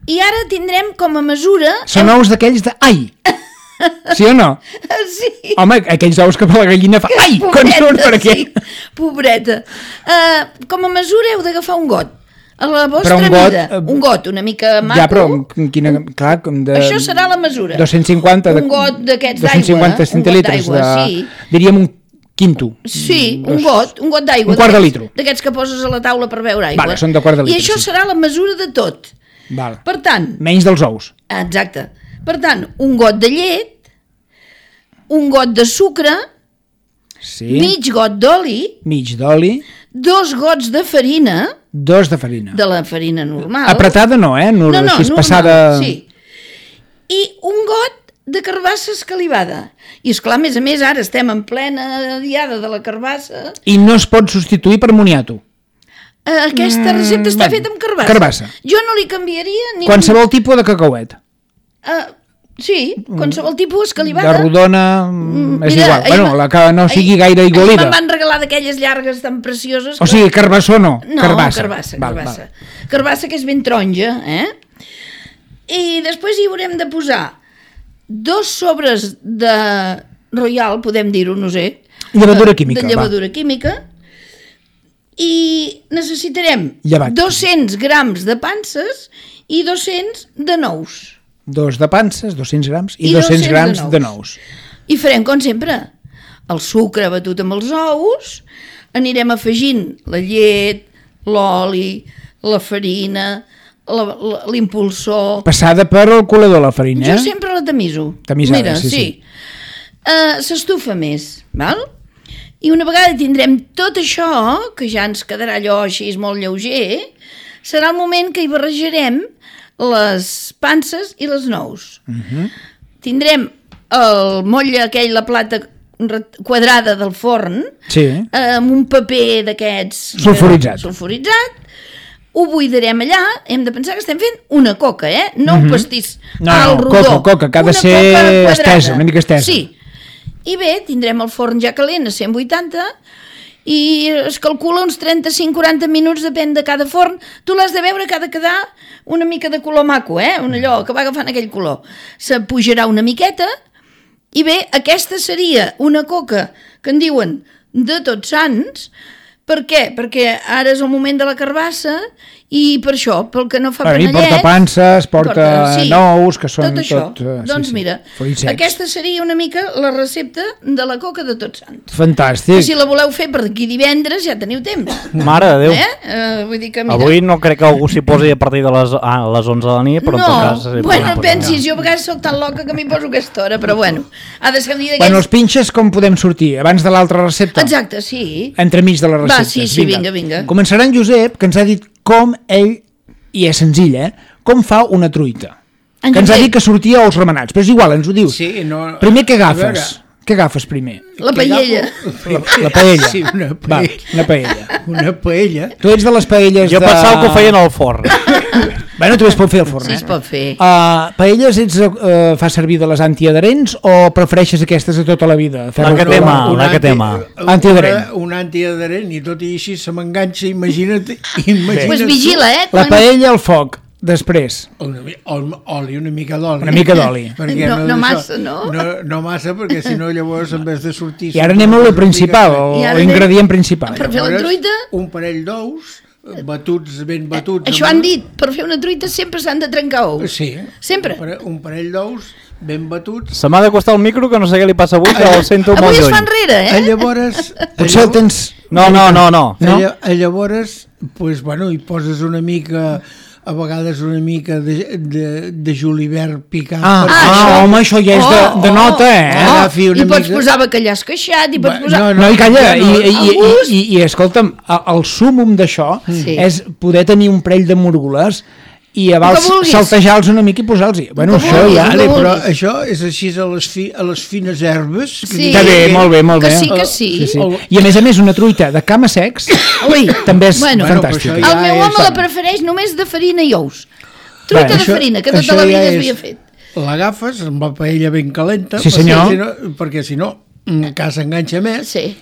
I ara tindrem com a mesura... Són ous d'aquells de... Ai! Sí o no? Sí. Home, aquells ous que per la gallina fa... Ai! Quan surt per aquí? Sí, pobreta. Uh, com a mesura heu d'agafar un got. A la vostra un got, mida. Un got una mica maco. Ja, però quina... Clar, com de... Això serà la mesura. dos-cents cinquanta... Un got d'aquests d'aigua. dos-cents cinquanta centilitres de... Sí. Diríem un quinto. Sí, un got, un got d'aigua. Un quart de litre. D'aquests que poses a la taula per beure aigua. Vale, són de quart de litre. I això sí. serà la mesura de tot. Val. Per tant... Menys dels ous. Exacte. Per tant, un got de llet, un got de sucre, sí. mig got d'oli, mig d'oli, dos gots de farina, dos de farina. de la farina normal. Apretada no, eh? No, no, no, així normal, passada... sí. I un got de carbassa escalivada. I esclar, a més a més, ara estem en plena diada de la carbassa. I no es pot substituir per moniato. Aquesta recepta està bueno, feta amb carbassa. carbassa. Jo no li canviaria ni... Qualsevol tipus de cacauet. Uh, sí, qualsevol tipus escalivada. De rodona, mm, és Mira, igual. ahir Bueno, va- la que no sigui ahir- gaire ahir igualida. Me'n van regalar d'aquelles llargues tan precioses. O sigui, carbassó no, No, carbassa. carbassa, Val, carbassa. val. Carbassa que és ben taronja, eh? I després hi haurem de posar dos sobres de Royal, podem dir-ho, no sé. Llevadura química, De llevadura va. química. I necessitarem Llevat. dos-cents grams de panses i dos-cents de nous. Dos de panses, dos-cents grams, i, I dos-cents dos-cents grams de de nous. nous. I farem com sempre. El sucre batut amb els ous, anirem afegint la llet, l'oli, la farina, la- la- l'impulsor... Passada per el colador, la farina, Jo eh? sempre la tamiso. Tamisada, Mira, sí, sí. Uh, s'estufa més, val? I una vegada tindrem tot això, que ja ens quedarà allò així molt lleuger, serà el moment que hi barrejarem les panses i les nous. Uh -huh. Tindrem el motlle aquell, la plata ret- quadrada del forn, Sí. eh, amb un paper d'aquests... Sulfuritzat. Sulfuritzat. Ho buidarem allà, hem de pensar que estem fent una coca, eh? No un pastís No, alt, no, rodó. coca, coca, que ha de Una ser coca quadrada. estesa, una mica estesa. Sí. I bé, tindrem el forn ja calent a cent vuitanta i es calcula uns trenta-cinc a quaranta minuts, depèn de cada forn. Tu l'has de veure que ha de quedar una mica de color maco, eh? Un allò que va agafant aquell color. Se pujarà una miqueta i bé, aquesta seria una coca que en diuen de Tots Sants. Per què? Perquè ara és el moment de la carbassa i per això, pel que no fa Bueno, i panellets... porta panses, porta sí, nous, que són tot això. tot, eh, sí, doncs sí, mira, fruits secs. aquesta seria una mica la recepta de la coca de Tots Sants. Fantàstic. Que si la voleu fer per d'aquí divendres ja teniu temps. Mare de Déu. Eh? Uh, vull dir que mira... Avui no crec que algú s'hi posi a partir de les, ah, les onze de la nit, però no, en tot cas... s'hi bueno, podrà posar. pensis, jo a vegades soc tan loca que m'hi poso a aquesta hora, però bueno, ha de ser un dia d'aquests... Bueno, els pinxes com podem sortir? Abans de l'altra recepta? Exacte, sí. Entremig de les Va, receptes. sí, sí, vinga, vinga. Començarà en Josep, que ens ha dit com ell, i és senzill, eh? Com fa una truita. En Que ens ha Josep. dit que sortia a ous remenats, però és igual, ens ho dius. Sí, no... Primer, què a agafes? Què agafes primer? La Que paella. agafo- La, la paella. Sí, una Va, paella. una paella. Una paella. Tu ets de les paelles Jo de... pensava que ho feien al forn. Bueno, també es pot fer al forn, Sí, eh? es pot fer. Uh, paelles ets, uh, fa servir de les antiadherents o prefereixes aquestes de tota la vida? La que té mà, la que té mà. Antiadherent. Un antiadherent i tot i així se m'enganxa, imagina't. imagina't Pues vigila, eh? La paella al foc, després. Una, mi- ol- oli, una mica d'oli. Una mica d'oli. Perquè No- no d'això- massa, no? no? No massa, perquè si no llavors en vez de sortir... I ara anem a lo principal, I ara l'ingredient anem- principal. Per fer la truita... Un parell d'ous, batuts, ben batuts. Això amb- han dit, per fer una truita sempre s'han de trencar ous. Sí. Sempre. Un parell, un parell d'ous, ben batuts. Se m'ha de costar el micro, que no sé què li passa avui, que el sento molt Avui es lluny. fa enrere, A eh? llavors... Potser el tens... No, no, no, no. No? A, a llavors, pues, bueno, hi poses una mica, a vegades una mica de, de, de julivert picat. Ah, perquè- ah, això. home, això ja és de, de nota, eh? Oh. Agafi una I pots mica- posar bacallà esqueixat, i pots Va, posar... no, No, i calla, Ja i, no, i, i, a gust. i, i, i escolta'm, a- el súmum d'això Sí. és poder tenir un parell de múrgules i a vals que vulguis. saltejar-los una mica i posar-los-hi. Bueno, que això vulguis, ja... el Vale, que però vulguis. això és així a les, fi, a les fines herbes. que Sí. Està bé, molt bé, molt Que bé. sí, que sí. Sí, sí. El- I a més a més una truita de cama secs Ui, també és bueno, Bueno, però fantàstica. això ja el meu és- home la prefereix només de farina i ous. Truita Bueno, de farina, que tota això la ja vida és- s'havia fet. L'agafes amb la paella ben calenta. Sí, perquè senyor. Si no, perquè si no, encara s'enganxa més. Sí.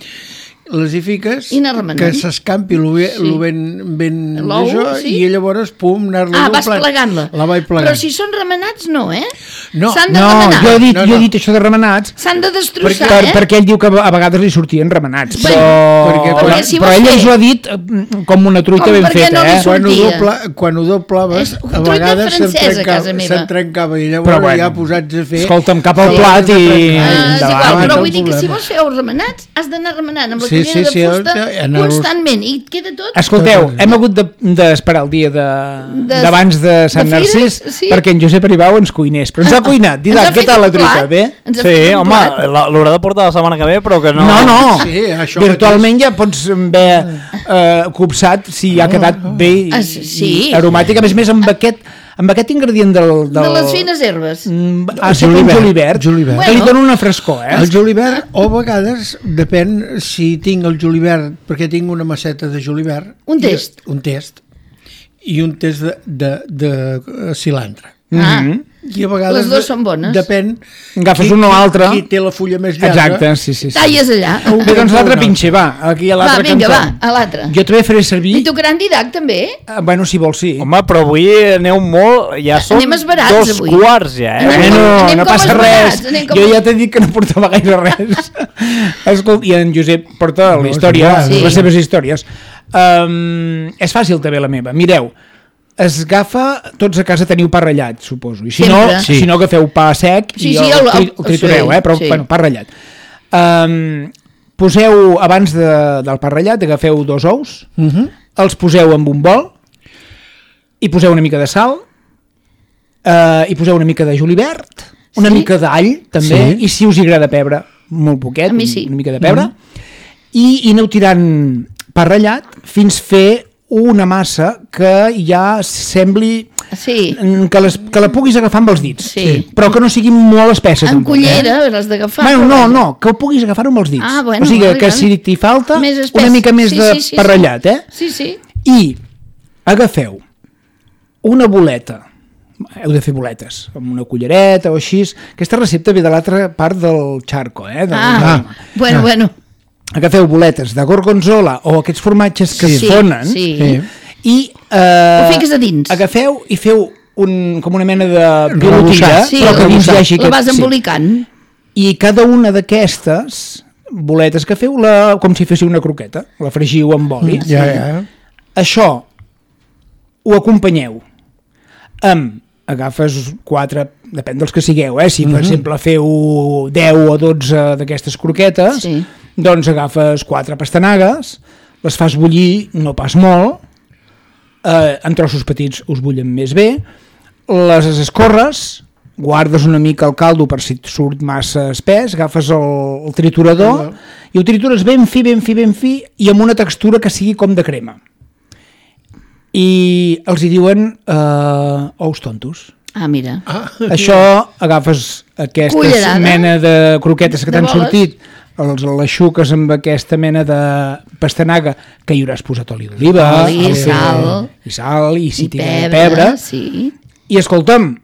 Les hi fiques, I anar remenant. que s'escampi el ben, Sí. lo ben, ben L'ou, d'això, sí. i llavors, pum, anar-la Ah, vas doblant. plegant-la. La vaig plegant. Però si són remenats, no, eh? No, S'han de No, remenar. jo he dit, No, jo he no. dit això de remenats S'han de per, destrossar, per, eh? perquè ell diu que a vegades li sortien remenats, Bueno, però, perquè però, quan- si però vols ell fer- ens ho ha dit eh, com una truita Com ben perquè feta, no li eh? surt- quan ho, sortia. dobla, quan ho doblaves, És a truita vegades se'n francesa, a trencava, casa meva. se'n trencava i llavors Però bueno, ja posats a fer... escolta'm, cap al Sí. plat i... Ah, és endavant. igual, però cap vull dir que si problema. vols fer ous remenats, has d'anar remenant amb la Sí, Sí, cullera sí, de sí, fusta en els- constantment, i et queda tot... Escolteu, Tot. hem hagut de- d'esperar el dia de- De- d'abans de, de Sant de fires, Narcís sí. perquè en Josep Aribau ens cuinés. Però ens ha cuinat. Ens Didac, ha què fet tal la un truita? plat. Bé? Ens ha Sí, fet un home, plat. la- l'haurà de portar la setmana que ve, però que no... No, no. Sí, això Virtualment ja pots haver eh, copsat si ha quedat bé i, Ah, sí. i aromàtic. A més a més, amb aquest, amb aquest ingredient del... del... De les fines herbes. Mm, Ha set un Julivert, julivert, julivert. que li Bueno. dona una frescor, eh? El julivert, o a vegades, depèn si tinc el julivert, perquè tinc una masseta de julivert. Un test. I, un test. I un test de, de, de, de cilantre. Ah, Mhm. I a vegades... Les dues són bones. Depèn... Agafes qui- un o qui- altre. Qui té la fulla més llarga. Exacte, sí, sí. sí. talles allà. Bé, doncs l'altre pinxe, va, aquí a Va, l'altre vinga, cantó. va, a l'altre. Jo també faré servir... I tocaran Didac, també? Eh, Bueno, si vols, sí. Home, però avui aneu molt... Ja són Anem esverats, dos avui. quarts, ja, eh? Anem Bueno, anem no com passa esverats, res. anem com- Jo ja t'he dit que no portava gaire res. Escolta, i en Josep porta la història, Sí. les seves històries. Um, és fàcil també la meva. Mireu, es agafa, tots a casa teniu pa ratllat, suposo. I si no, Sempre. si no agafeu pa sec Sí, i sí, el, el- tri- el- el tritureu, sí, eh? Però, sí. bueno, pa ratllat. Um, poseu, abans de, del pa ratllat, agafeu dos ous, Uh -huh. els poseu en un bol, i poseu una mica de sal, eh, i poseu una mica de julivert, una Sí? mica d'all, també, Sí. i si us hi agrada pebre, molt poquet, A mi sí. una mica de pebre, i, i aneu tirant pa ratllat fins fer una massa que ja sembli Sí, mm, que, les, que la puguis agafar amb els dits, Sí. però que no sigui molt espessa. en tampoc, cullera Eh? l'has d'agafar. Bueno, però no, vaja. no, que ho puguis agafar amb els dits. Ah, bueno, o sigui, vale, que vale. si t'hi falta Més espès. una mica més Sí, de sí, sí, pa sí. ratllat, eh? Sí, sí. I agafeu una boleta, heu de fer boletes, amb una cullereta o així. Aquesta recepta ve de l'altra part del charco, eh? De Ah, bueno, bueno. Agafeu boletes de gorgonzola o aquests formatges que Sí, es fonen sí. Sí. i eh, Ho fiques a dins. agafeu i feu un, com una mena de Rebussat. pilotilla, Sí, però que dins hi hagi la vas aquest- sí. embolicant. I cada una d'aquestes boletes que feu la, com si féssiu una croqueta, la fregiu amb oli. Ja, ja. Això ho acompanyeu amb, agafes quatre, depèn dels que sigueu, eh? Si per exemple feu deu o dotze d'aquestes croquetes, Sí. doncs agafes quatre pastanagues, les fas bullir, no pas molt, eh, en trossos petits us bullen més bé, les escorres, guardes una mica el caldo per si et surt massa espès, agafes el, el triturador i ho tritures ben fi, ben fi, ben fi i amb una textura que sigui com de crema. I els hi diuen eh, ous tontos. Ah, mira. Ah, Això agafes aquesta Cullerada. mena de croquetes que De t'han boles. sortit, els l'aixuques amb aquesta mena de pastanaga que hi hauràs posat oli d'oliva, Oli, el- sal. i sal, i si I tira pebre, pebre, sí. i escolta'm,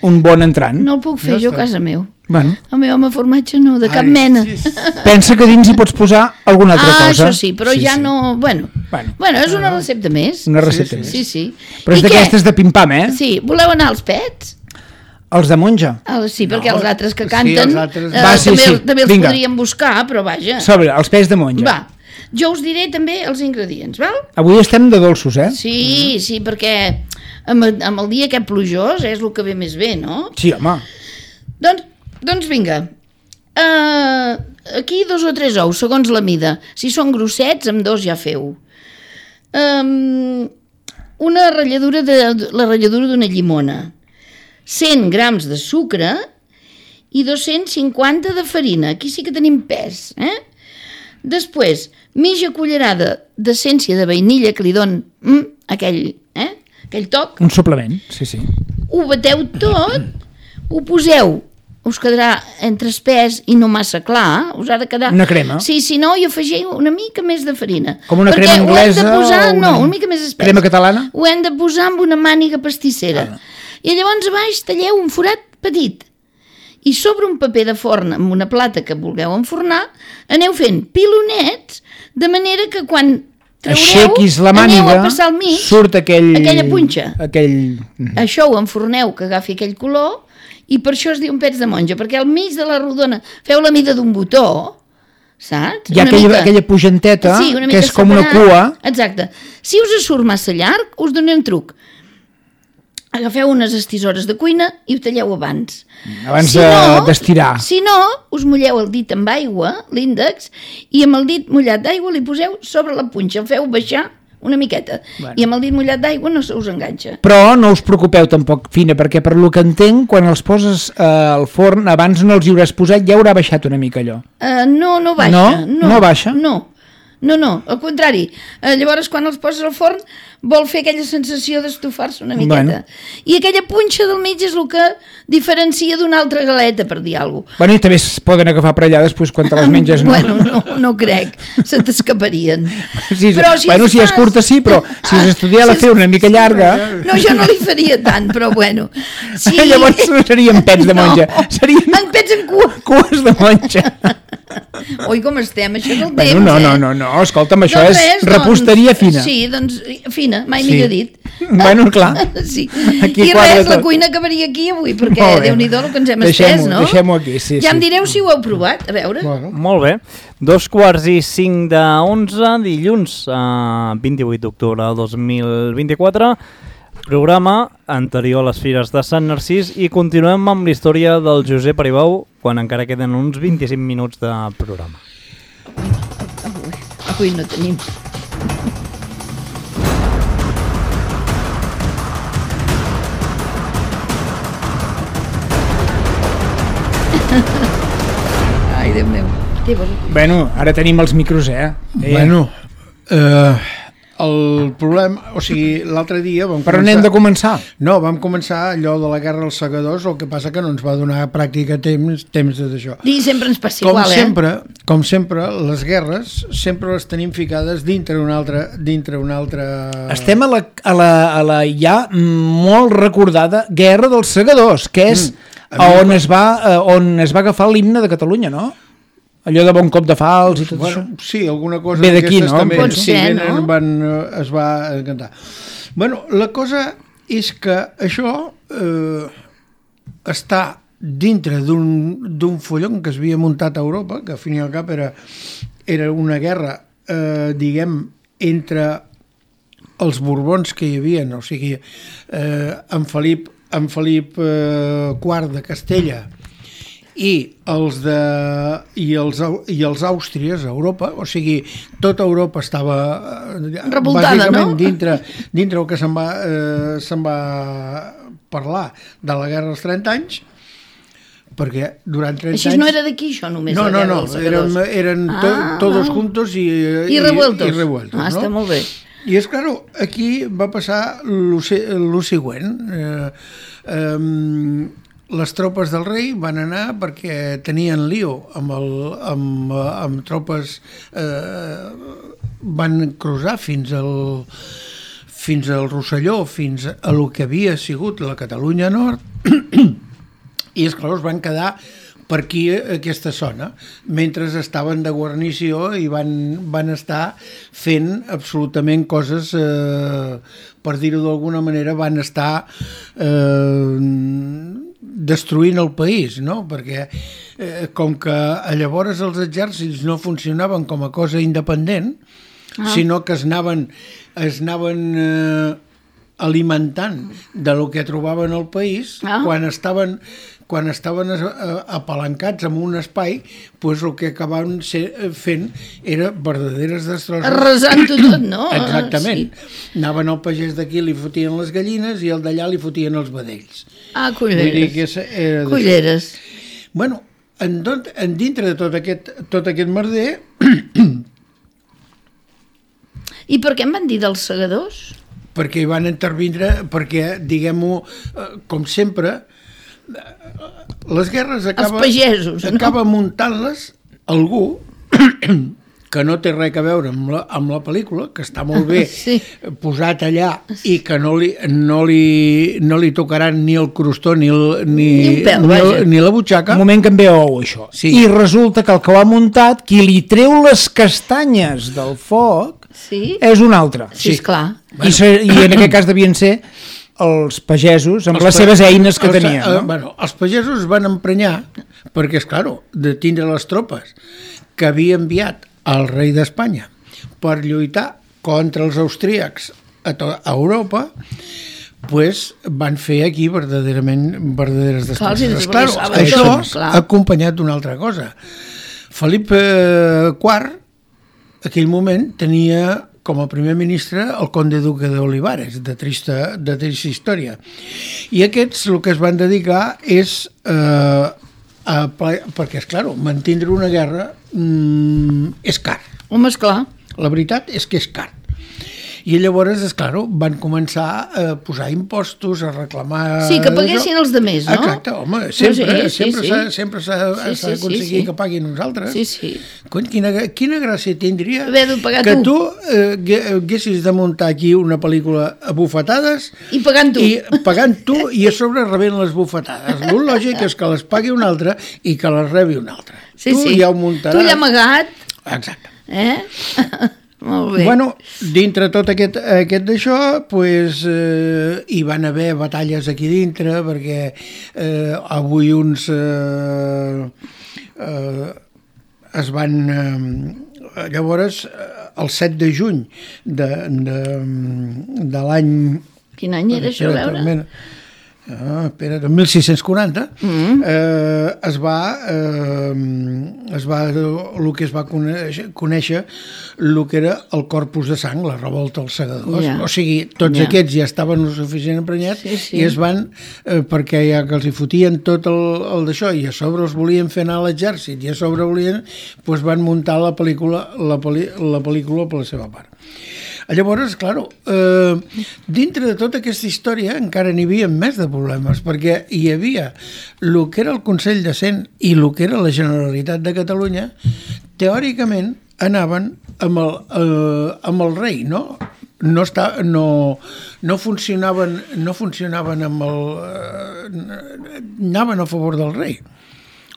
un bon entrant. No el puc fer jo a casa meu. Bueno, El meu home formatge no, de cap Ai, mena. sí, sí. pensa que dins hi pots posar alguna altra Ah, cosa. això sí, però ja no... Bueno, Bueno. bueno, és una recepta més. Una recepta Sí, més. Sí, sí. Però és I què? d'aquestes de pim-pam, eh? Sí, voleu anar als pets? Els de monja. Ah, sí, perquè No, els altres que sí, canten els altres- eh, Va, sí, també, sí, també els vinga. podríem buscar, però vaja. Sobre, els peix de monja. Va, jo us diré també els ingredients, val? Avui estem de dolços, eh? Sí, sí, perquè amb, amb el dia aquest plujós és el que ve més bé, no? Sí, home. Doncs, doncs vinga, uh, aquí dos o tres ous, segons la mida. Si són grossets, amb dos ja feu. Um, una ratlladura de, la ratlladura d'una llimona, cent grams de sucre i dos-cents cinquanta de farina. Aquí sí que tenim pes, eh? Després, mitja cullerada d'essència de vainilla que li don mm, aquell, eh? aquell toc. Un suplement, sí, sí. Ho bateu tot, ho poseu, us quedarà entre espès i no massa clar, us ha de quedar... Una crema. Sí, si no, hi afegiu una mica més de farina. Com una Perquè crema ho hem anglesa de posar, o una- no, una mica més espès. crema catalana? Ho hem de posar amb una màniga pastissera. Ah. I llavors a baix talleu un forat petit. I sobre un paper de forn amb una plata que vulgueu enfornar, aneu fent pilonets, de manera que quan traureu, Aixequis la aneu màniga, a passar al mig surt aquell... aquella punxa. Aquell... Això ho enforneu, que agafi aquell color, i per això es diu un pets de monja, perquè al mig de la rodona feu la mida d'un botó, saps? Hi ha Una aquella, mica- aquella pugenteta, sí, una que mica és com una separat. cua. Exacte. Si us surt massa llarg, us donaré un truc. agafeu unes estisores de cuina i ho talleu abans. Abans si no, d'estirar. Si no, us mulleu el dit amb aigua, l'índex, i amb el dit mullat d'aigua li poseu sobre la punxa, el feu baixar una miqueta. Bueno. I amb el dit mullat d'aigua no se us enganxa. Però no us preocupeu tampoc, Fina, perquè per lo que entenc, quan els poses eh, al forn, abans no els hi hauràs posat, ja haurà baixat una mica allò. Uh, no, no baixa. No? No, no baixa? No. No, no, al contrari. Eh, llavors, quan els poses al forn, vol fer aquella sensació d'estufar-se una miqueta. Bueno. I aquella punxa del mig és el que diferencia d'una altra galeta, per dir alguna cosa. Bueno, i també es poden agafar per allà després quan te les menges, no? Bueno, no, no crec. Se t'escaparien. Sí, però si bueno, si fas... és curta sí, però si es estudiar la fer una mica llarga... No, jo no li faria tant, però bueno. Sí. Llavors no serien pets de monja. No, serien en pets en cua. Cues de monja. Oi, com estem, això del bueno, temps, no, eh? no, no, no, escolta'm, això doncs és res, reposteria doncs, fina. Sí, doncs fina, mai sí. millor dit. Bueno, clar. Sí. Aquí I res, la cuina acabaria aquí avui, perquè Déu-n'hi-do el que ens hem estès, no? Deixem-ho aquí, sí. Ja sí. em direu si ho heu provat, a veure. Bueno. Molt bé. Dos quarts i cinc de onze, dilluns, uh, vint-i-vuit d'octubre del dos mil vint-i-quatre, programa anterior a les Fires de Sant Narcís, i continuem amb la història del Josep Aribau quan encara queden uns vint-i-cinc minuts de programa. Avui, avui no tenim. Ai, Déu meu. Bueno, ara tenim els micros, eh? eh. Bueno, eh, el problema... O sigui, l'altre dia vam Però començar... n'hem de començar. No, vam començar allò de la guerra als segadors, el que passa que no ens va donar pràctica temps, temps d'això. I sempre ens passa com igual, sempre, eh? Com sempre, les guerres sempre les tenim ficades dintre una altra... Dintre una altra... Estem a la, a, la, a la ja molt recordada Guerra dels Segadors, que és mm, on, es va, on es va agafar l'himne de Catalunya, no? Allò de Bon Cop de Fals i tot bueno, això. Sí, alguna cosa ve d'aquí, no? també Pot sí, ser, venen, no? van, es va encantar. Bueno, la cosa és que això eh, està dintre d'un follon que es havia muntat a Europa, que al fin i al cap era, era una guerra, eh, diguem, entre els borbons que hi havia, o sigui, eh, en Felip, en Felip eh, quart de Castella, i els de i els, i els àustries a Europa, o sigui, tota Europa estava revoltada, bàsicament no? dintre, dintre el que se'n va, eh, se'n va parlar de la guerra dels trenta anys, perquè durant trenta Així anys... no era d'aquí això només, no, la no, guerra no, dels segadors. eren, eren ah, to, todos no. juntos i, I revueltos. I, i revueltos, ah, no? està molt bé. I és clar, aquí va passar el següent. Eh, eh, les tropes del rei van anar perquè tenien lío amb, el, amb, amb tropes, eh, van cruzar fins al, fins al Rosselló, fins a lo que havia sigut la Catalunya Nord, i esclar, es van quedar per aquí, aquesta zona, mentre estaven de guarnició i van, van estar fent absolutament coses, eh, per dir-ho d'alguna manera, van estar eh, destruint el país, no? Perquè eh, com que llavors els exèrcits no funcionaven com a cosa independent, ah. sinó que es anaven, es anaven eh, alimentant de lo que trobaven al país, ah. quan estaven quan estaven apalancats en un espai, pues el que acabaven ser, fent era verdaderes destrosses. Arrasant-ho tot, no? Exactament. Sí. Anaven al pagès d'aquí, li fotien les gallines, i el d'allà li fotien els vedells. Ah, culleres. Era culleres. Bueno, en, tot, en dintre de tot aquest, tot aquest merder... I per què em van dir dels segadors? Perquè hi van intervindre, perquè, diguem-ho, com sempre... les guerres acaba, els pagesos, acaba no? muntant-les algú que no té res a veure amb la, amb la pel·lícula, que està molt bé sí. posat allà i que no li, no li, no li tocaran ni el crostó ni, el, ni, ni, pèl, ni, el, ni la butxaca. Un moment que em ve ou, això. Sí. I resulta que el que ho ha muntat, qui li treu les castanyes del foc, sí? és un altre. Sí, esclar. I, se, I en aquest cas devien ser els pagesos amb els les seves eines que els, tenien. No? Eh, bueno, els pagesos van emprenyar, perquè, és clar, de tindre les tropes que havia enviat el rei d'Espanya per lluitar contra els austríacs a, to, a Europa, pues van fer aquí verdaderament verdaderes destrosses. Clar, Claro, saben això tot, clar. ha acompanyat d'una altra cosa. Felip eh, quart, aquell moment, tenia com a primer ministre el conde duque d'Olivares, de trista, de trista història. I aquests el que es van dedicar és eh, a, perquè, és clar, mantindre una guerra mm, és car. Home, esclar. La veritat és que és car. I llavors, és clar, van començar a posar impostos, a reclamar... Sí, que paguessin els demés, no? Exacte, home, sempre sí, sí, sempre sí. s'ha sempre s'ha Sí, sí, d'aconseguir sí, sí. que paguin uns altres. Sí, sí. Cony, quina, quina gràcia tindria Haver de pagar que tu. tu eh, hagué- haguessis de muntar aquí una pel·lícula a bufetades I pagant tu. i pagant tu i a sobre rebent les bufetades. El lògic és que les pagui un altre i que les rebi un altre. Sí, tu sí. ja ho muntaràs. Tu ja amagat, Exacte. eh? Molt bé. Bueno, dintre tot aquest, aquest d'això, pues, eh, hi van haver batalles aquí dintre, perquè eh, avui uns eh, eh, es van... Eh, llavors, eh, el set de juny de, de, de l'any... Quin any era això, a Espera't, veure? mira. Ah, espera, de mil sis-cents quaranta Mm. eh, es va eh, es va el que es va conèixer, conèixer el que era el corpus de sang, la revolta als segadors. Ja. O sigui, tots Ja. aquests ja estaven lo suficient emprenyats Sí, sí. i es van, eh, perquè ja que els hi fotien tot el, el d'això i a sobre els volien fer anar a l'exèrcit i a sobre volien, doncs van muntar la pel·lícula la, pel·li, la pel·lícula per la seva part. Llavors, clar, eh, dintre de tota aquesta història encara n'hi havia més de problemes, perquè hi havia el que era el Consell de Cent i el que era la Generalitat de Catalunya, teòricament anaven amb el, eh, amb el rei, no? No, està, no, no funcionaven no funcionaven amb el... Eh, anaven a favor del rei.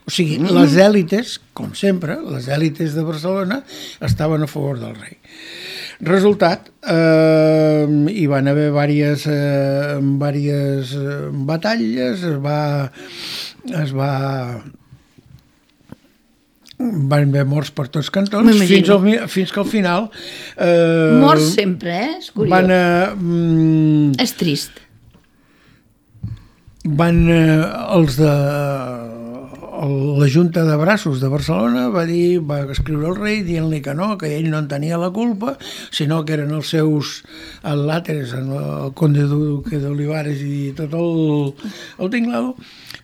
O sigui, mm. les èlites, com sempre, les èlites de Barcelona estaven a favor del rei. Resultat, eh, hi van haver diverses, eh, diverses eh, batalles, es va, es va, van haver morts per tots cantons, fins, al, fins que al final... Eh, Morts sempre, eh? És curiós. Van, eh, mm, És trist. van eh, els de la Junta de Braços de Barcelona va dir, va escriure al rei dient-li que no, que ell no en tenia la culpa, sinó que eren els seus al·làteres, el conde duque d'Olivares i tot el, el tinglado,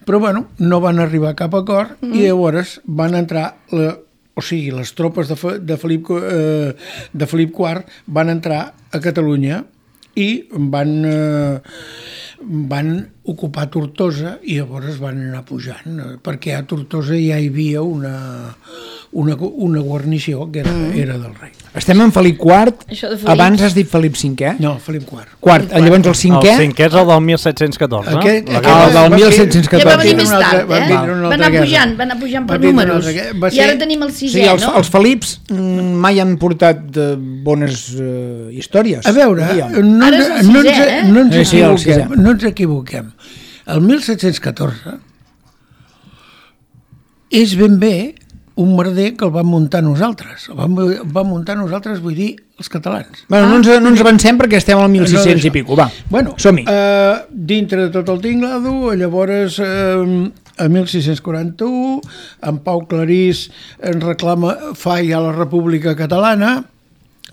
però bueno, no van arribar a cap acord mm. i llavors van entrar la, o sigui, les tropes de, de, Felip, eh, de Felip quart van entrar a Catalunya i van... Eh, van ocupar Tortosa i llavors van anar pujant, perquè a Tortosa ja hi havia una, una, una guarnició que era, mm. era del rei. Estem en Felip quart, Felip... abans has dit Felip cinquè? No, Felip quart. Quart, Felip llavors el cinquè... El cinquè és el del mil set-cents catorze. Aquest, La aquest, guerra- el del mil set-cents catorze. Ja va venir més Una altra- tard, va eh? vindre una Va altra anar guerra. pujant, va anar pujant per Va vindre una números. altra guerra. Va I ara ser- tenim el O sisè, sigui, els, no? els Felips mm, mai han portat eh, bones eh, històries. A veure, diríem. no, Ara és el no, sisè, ens, eh? no ens Sí, sí, el equivoquem, sisè. no ens equivoquem. El mil set-cents catorze és ben bé un merder que el vam muntar nosaltres. El vam, vam muntar nosaltres, vull dir, els catalans. Bueno, no, ens, no ens avancem perquè estem al mil sis-cents No, i pico, va, bueno, som-hi. Eh, dintre de tot el tinglado, llavors, eh, a mil sis-cents quaranta-u, en Pau Clarís en reclama, fa ja la República Catalana,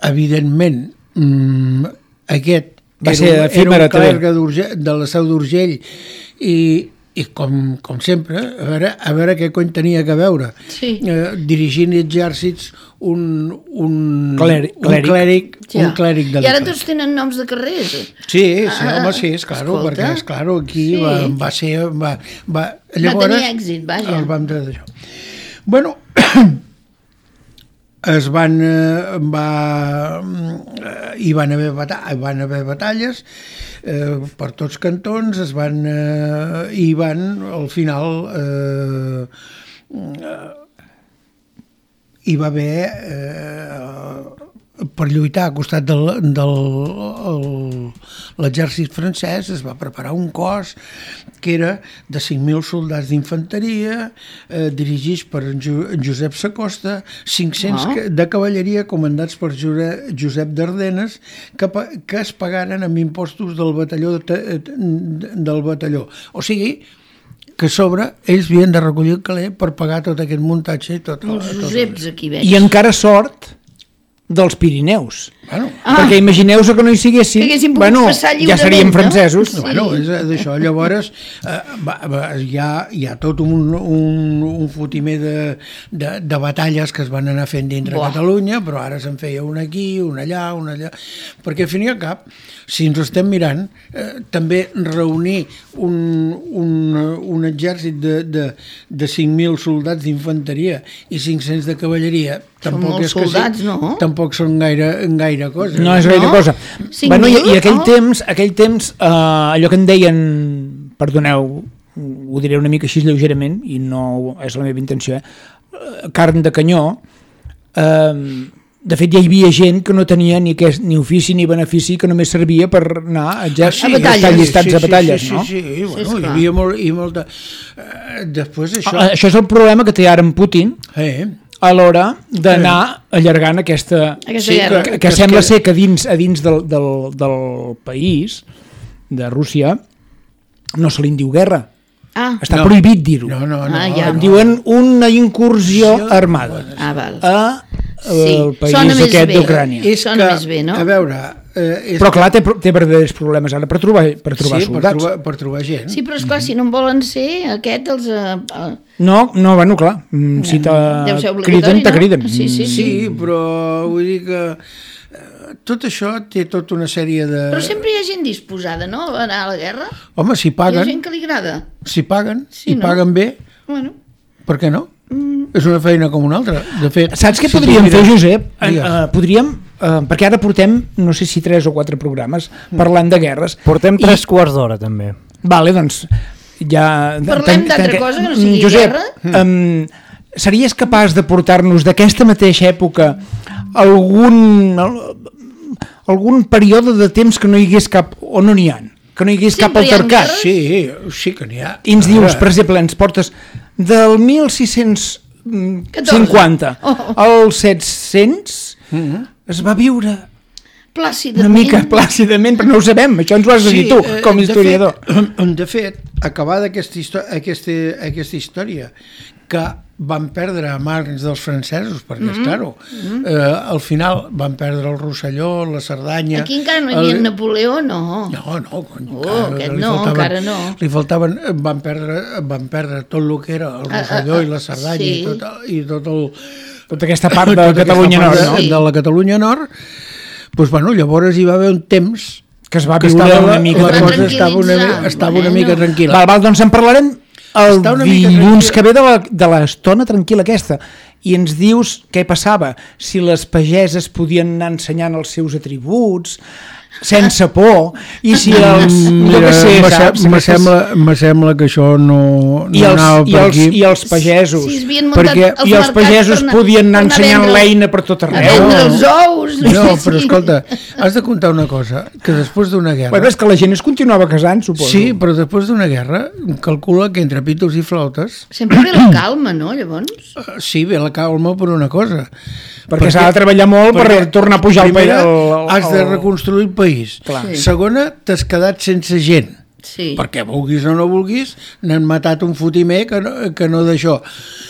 evidentment, mm, aquest Va era, ser un- era efímera, un també. clergue d'Urgell- de la Seu d'Urgell i, i com, com sempre, a veure, a veure què cony tenia que veure. Sí. Eh, dirigint exèrcits un, un, Clèric. un clèric, Ja. un clèric de I ara l'Imperi. tots tenen noms de carrers. Sí, sí, Ah, home, sí, és clar, escolta. perquè és clar, aquí Sí. va, va ser... Va, va, Va tenir èxit, vaja. El vam treure d'això. Bueno, es van... eh, Va, eh, hi van haver, bata van haver batalles eh, per tots cantons, es van... Eh, hi van, al final... Eh, eh, hi va haver... Eh, per lluitar a costat del, del el, l'exèrcit francès es va preparar un cos que era de cinc mil soldats d'infanteria, eh, dirigits per en, jo, en Josep Sacosta, cinc-cents Ah. de cavalleria comandats per Jure, Josep d'Ardenes, que, que es pagaren amb impostos del batalló, de, del batalló. O sigui, que a sobre ells havien de recollir el caler per pagar tot aquest muntatge i tot. Els tot Joseps aquí veig. I encara sort dels Pirineus. Bueno, Ah. Perquè imagineu-vos que no hi siguessin, Que haguessin pogut bueno, passar ja lliurement, seríem no? francesos. Sí. Bueno, és d'això. Llavors, eh, va, va, hi, ha, hi ha tot un, un, un fotimer de, de, de batalles que es van anar fent dintre Buah. Catalunya, però ara se'n feia una aquí, una allà, una allà... Perquè, al fin i al cap, si ens ho estem mirant, eh, també reunir un, un, un exèrcit de, de, de cinc mil soldats d'infanteria i cinc-cents de cavalleria, Són tampoc molts és que soldats, sí, no? tampoc són gaire, gaire cosa. No és gaire No? cosa. Cinc Bueno, i, mil? I aquell Oh. temps, aquell temps eh, allò que en deien, perdoneu, ho diré una mica així lleugerament, i no és la meva intenció, eh? carn de canyó, eh, de fet ja hi havia gent que no tenia ni, que, ni ofici ni benefici, que només servia per anar a, exer- A batalles. estar llistats sí, a batalles, sí, no? Sí, sí, sí, bueno, esclar. hi havia molt, i molta... Eh, després això... Ah, això és el problema que té ara en Putin Eh, a l'hora d'anar allargant aquesta... Aquesta Sí, guerra. que, que que es sembla queda- ser que dins, a dins del, del, del país, de Rússia, no se li en diu guerra. Ah, Està No. prohibit dir-ho. No, no, no. Ah, ja. En diuen una incursió Sí, armada ah, val. a Sí, el país sona més aquest bé. d'Ucrània. És Sona que, més bé, no? A veure... Eh, és Però clar, té, té verdaders problemes ara per trobar, per trobar sí, per soldats. trobar, per trobar gent. Sí, però esclar, si no en volen ser, aquest els... Eh, eh, No, no, bueno, clar, mm, si te Deu ser obligatori, criden, te no? criden. Sí, sí, Mm, Sí, però vull dir que eh, tot això té tota una sèrie de... Però sempre hi ha gent disposada, no?, a anar a la guerra. Home, si Hi ha paguen, gent que li agrada. si paguen, Sí, i no? paguen bé, Bueno, per què no? És una feina com una altra. De fet, Saps què si tu podríem mires- fer, Josep? En, Digues. uh, podríem, uh, perquè ara portem, no sé si tres o quatre programes, parlant de guerres. Portem I- tres quarts d'hora, també. Vale, doncs, ja... Parlem d'altra cosa que no sigui Josep, guerra? um, series capaç de portar-nos d'aquesta mateixa època algun, algun període de temps que no hi hagués cap, o no n'hi ha, que no hi hagués cap Sempre hi ha altercat? guerres? Sí, sí que n'hi ha. I ens dius, Ara, per exemple, ens portes del mil sis-cents cinquanta Oh. al set-cents, es va viure plàcidament. una mica plàcidament, però no ho sabem, això ens ho has de dir tu, eh, com a de historiador. Fet, de fet, acabada aquesta, histò aquesta, aquesta història que van perdre a mans dels francesos, perquè, mm -hmm. claro, eh, al final van perdre el Rosselló, la Cerdanya... Aquí encara no hi havia el... Napoleó, no. No, no, cony, Oh, aquest no, encara no. Li faltaven, van perdre, van perdre tot el que era el Rosselló ah, ah, i la Cerdanya sí. i, tot, i tot el... Tota aquesta part de tota aquesta Catalunya part Nord, de, no? Sí. de la Catalunya Nord, doncs, bueno, llavors hi va haver un temps Que es va que viure estava una la, mica... la Es va cosa estava una, tranquil·litzar. estava una Bueno. mica tranquil·la. Val, val, doncs en parlarem el Està una mica dilluns tranquil·la. que ve de la- de l'estona tranquil·la aquesta, i ens dius què passava, si les pageses podien anar ensenyant els seus atributs sense por, i si els... jo què sé, me, saps? me, Aquestes- sembla, me sembla que això no, no I els, anava i, per els, aquí. i els pagesos, Si es havien muntat perquè- els i els mercats pagesos per anar- podien anar per anar a ensenyant vendre- l'eina per tot A arreu. vendre No. els ous. No, sé però si- escolta, has de contar una cosa, que després d'una guerra... Bueno, és que la gent es continuava casant, suposo. Sí, però després d'una guerra, calcula que entre pitos i flautes, Sempre ve la calma, no, llavors? eh, sí, ve la calma per una cosa. Perquè s'ha de treballar molt per tornar a pujar el país. Primera, el- el- has de reconstruir el país. Clar. Sí. Segona, t'has quedat sense gent. Sí. Perquè vulguis o no vulguis, n'han matat un fotimer que no, que no d'això.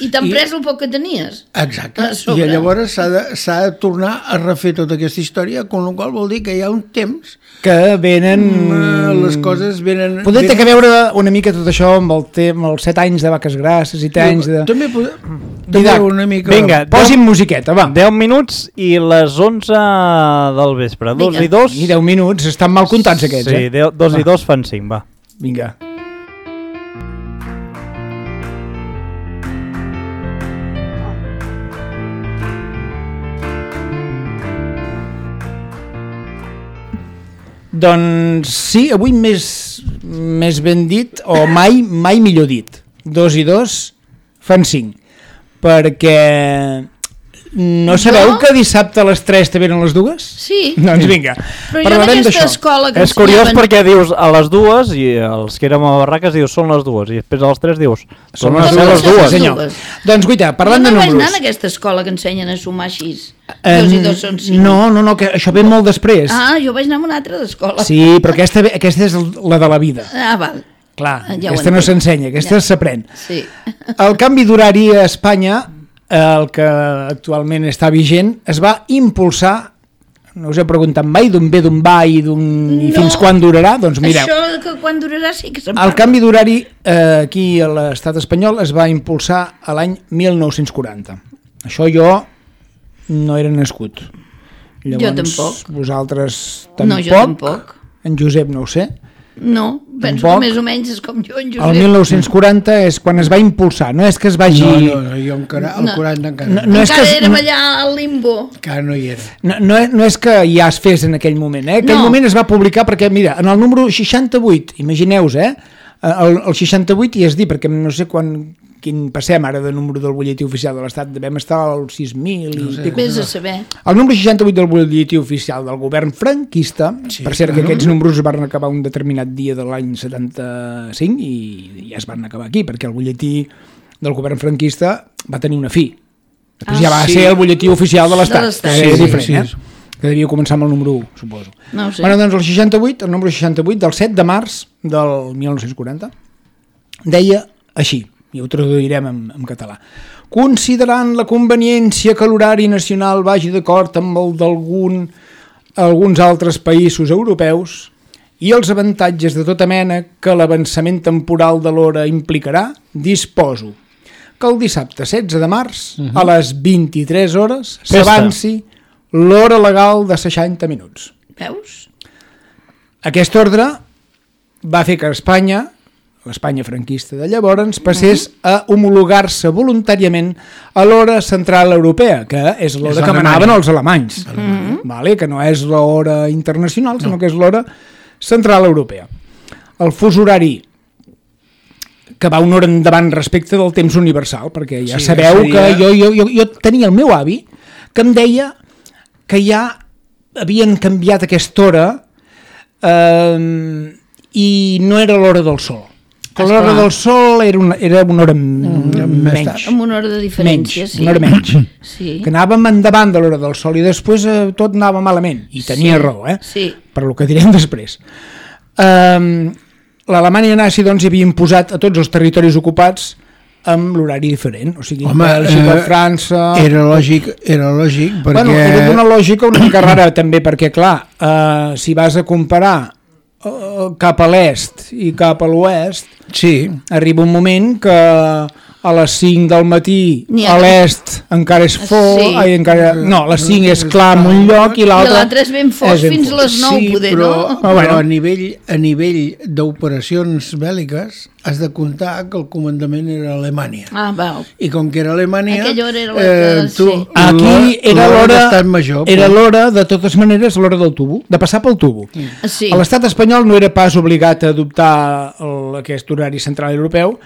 I t'han I- pres el poc que tenies. Exacte, A sobre. i llavors s'ha de, s'ha de tornar a refer tota aquesta història, amb la qual vol dir que hi ha un temps que venen... eh, les coses venen... Poder té venen- que veure una mica tot això amb, el te amb els set anys de vaques grasses i set anys de... També, pod... també Didac, una mica... vinga. Posin musiqueta, va. deu minuts i les onze del vespre. dos Vinga. i dos... I deu minuts, estan mal comptats aquests, Sí, eh? deu- dos i dos fan cinc, va. Vinga. Doncs sí, avui més, més ben dit, o mai, mai millor dit. Dos i dos fan cinc. Perquè No sabeu Jo? que dissabte a les tres també eren les dues? Sí. Doncs vinga, Però jo en parlarem aquesta d'això. escola que És curiós ensenyaven- perquè dius a les dues i els que érem a barraques dius són les dues i després a les tres dius són les, les les dues. dues. Sí, senyor. dues. Doncs, guaita, parlant jo de no vaig anar números... en aquesta escola que ensenyen a sumar així. Eh, Dos i dos són cinc. No, no, no, que això ve molt després. Ah, jo vaig anar a una altra d'escola. Sí, però aquesta, ve- aquesta és la de la vida. Ah, val. Clar, Ja ho aquesta no entenc. s'ensenya, aquesta Ja. s'aprèn. Sí. El canvi d'horari a Espanya, el que actualment està vigent, es va impulsar, no us he preguntat mai d'on ve, d'on va i, d'on, i No. fins quan durarà, doncs mireu. Això que quan durarà sí que se'n El parla. canvi d'horari eh, aquí a l'estat espanyol es va impulsar a l'any mil nou-cents quaranta. Això jo no era nascut. Jo tampoc. Vosaltres tampoc. No, jo tampoc. En Josep no ho sé. No, penso Tampoc. que més o menys és com jo, en Josep. El mil nou-cents quaranta és quan es va impulsar, no és que es vagi... No, no, no, jo encara, el No. quaranta encara No, no, no és Encara que es- érem no- allà al limbo. encara no hi era. No, no, és, no és que ja es fes en aquell moment, eh? Aquell No. moment es va publicar perquè, mira, en el número seixanta-vuit, imagineu-vos, eh? El, el seixanta-vuit i es dir, perquè no sé quan, quin passem ara de número del butlletí oficial de l'Estat, devem estar al sis mil i... sé. pico. Vés a saber. El número seixanta-vuit del butlletí oficial del govern franquista, Sí, per cert claro. que aquests números es van acabar un determinat dia de l'any setanta-cinc i ja es van acabar aquí, perquè el butlletí del govern franquista va tenir una fi. Després Ah, ja va sí. ser el butlletí oficial de l'Estat, De l'Estat. que és Sí, diferent, sí, eh? sí. Que devia començar amb el número u, suposo. No ho sé. Bueno, doncs el seixanta-vuit, el número seixanta-vuit del set de març del mil nou-cents quaranta, deia així, i ho traduirem en, en català. Considerant la conveniència que l'horari nacional vagi d'acord amb el d'algun alguns altres països europeus i els avantatges de tota mena que l'avançament temporal de l'hora implicarà, disposo que el dissabte setze de març, uh -huh. a les vint-i-tres hores, Festa. s'avanci l'hora legal de seixanta minuts. Veus? Aquest ordre va fer que Espanya, l'Espanya franquista de llavors, passés a homologar-se voluntàriament a l'hora central europea, que és l'hora És que l'Alemanya. manaven els alemanys, vale? Que no és l'hora internacional, sinó que és l'hora central europea. El fus horari que va una hora endavant respecte del temps universal, perquè ja Sí, sabeu seria- que jo, jo, jo, jo tenia el meu avi que em deia que ja havien canviat aquesta hora eh, i no era l'hora del sol. Que l'hora Esclar. del sol era una, era una hora mm, més menys. tard. Amb una hora de diferència, menys, sí. una hora menys. Sí. Que anàvem endavant de l'hora del sol i després eh, tot anava malament. I tenia Sí, raó, eh? sí. Per lo que direm després. Um, L'Alemanya nazi doncs, hi havia imposat a tots els territoris ocupats amb l'horari diferent. O sigui, Home, Bèlgica, eh, França... Era lògic, era lògic, perquè... Bueno, era d'una lògica una mica rara també, perquè clar, eh, si vas a comparar eh, cap a l'est i cap a l'oest, Sí, arriba un moment que a les cinc del matí N'hi ha a que- l'est encara és fosc, Sí. ai, encara... no, a les cinc és clar en un lloc i I l'altre l'altre és ben fosc ben fins a fosc. les nou, sí, poder, però, no? Ah, però bueno. a nivell, a nivell d'operacions bèl·liques has de comptar que el comandament era Alemanya. Ah, val. I com que era Alemanya... Aquella hora era la que- tu, sí. Aquí era l'hora d'estat major. era però- l'hora, de totes maneres, l'hora del tubo, de passar pel tubo. Sí. A l'estat espanyol no era pas obligat a adoptar el, aquest horari central europeu,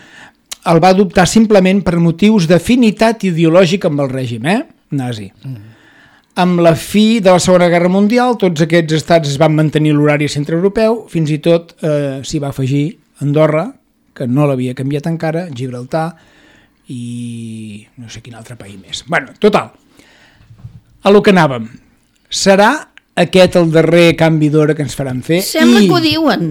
el va adoptar simplement per motius d'afinitat ideològica amb el règim, eh? nazi. Mm. Amb la fi de la Segona Guerra Mundial, tots aquests estats es van mantenir l'horari centreeuropeu, fins i tot eh, s'hi va afegir Andorra, que no l'havia canviat encara, Gibraltar i no sé quin altre país més. Bueno, total, a lo que anàvem. Serà aquest el darrer canvi d'hora que ens faran fer? Sembla I... que ho diuen.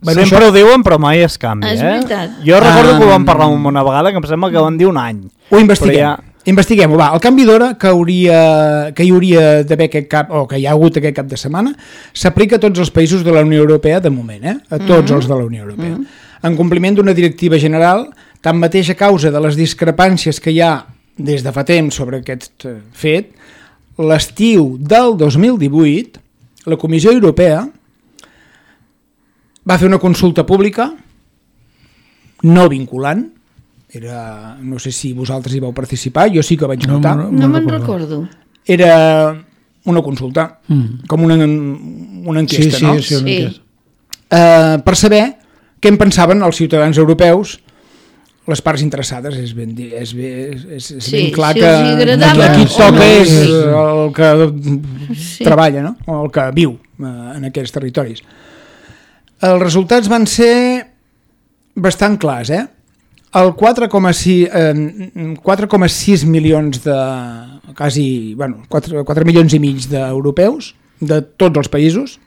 Bueno, Sempre això- ho diuen, però mai es canvia, És eh? veritat. Jo recordo Ah. que ho vam parlar una vegada, que em sembla que van dir un any. Ho investiguem. Però ja- Investiguem-ho, va. El canvi d'hora que, hauria, que hi hauria d'haver aquest cap, o que hi ha hagut aquest cap de setmana, s'aplica a tots els països de la Unió Europea de moment, eh? A tots mm -hmm. els de la Unió Europea. Mm -hmm. En compliment d'una directiva general, tanmateix a causa de les discrepàncies que hi ha des de fa temps sobre aquest eh, fet, l'estiu del dos mil divuit, la Comissió Europea va fer una consulta pública no vinculant, era, no sé si vosaltres hi vau participar, jo sí que vaig No, votar, no, No me'n recordo. recordo. era una consulta, Mm. com una, una Sí, enquesta, sí, no? sí, una Sí. enquesta. Eh, per saber què en pensaven els ciutadans europeus les parts interessades, és ben, és ben, és, és Sí, ben clar si que els agradava, aquí sí. toca és Sí. el que Sí. treballa, no? O el que viu eh, en aquests territoris. Els resultats van ser bastant clars, eh? El quatre coma sis, eh, quatre coma sis milions de quasi, bueno, quatre, quatre milions i mig d'europeus de tots els països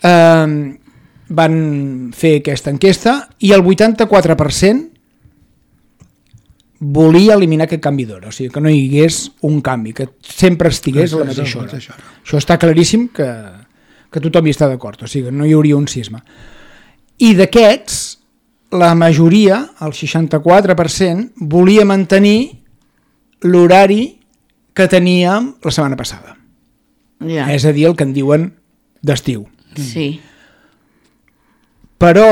eh, van fer aquesta enquesta i el vuitanta-quatre per cent volia eliminar aquest canvi d'hora, o sigui, que no hi hagués un canvi, que sempre estigués a la mateixa hora. Això està claríssim que, que tothom hi està d'acord, o sigui, no hi hauria un cisma. I d'aquests, la majoria, el seixanta-quatre per cent, volia mantenir l'horari que teníem la setmana passada. Ja. És a dir, el que en diuen d'estiu. Sí. Però,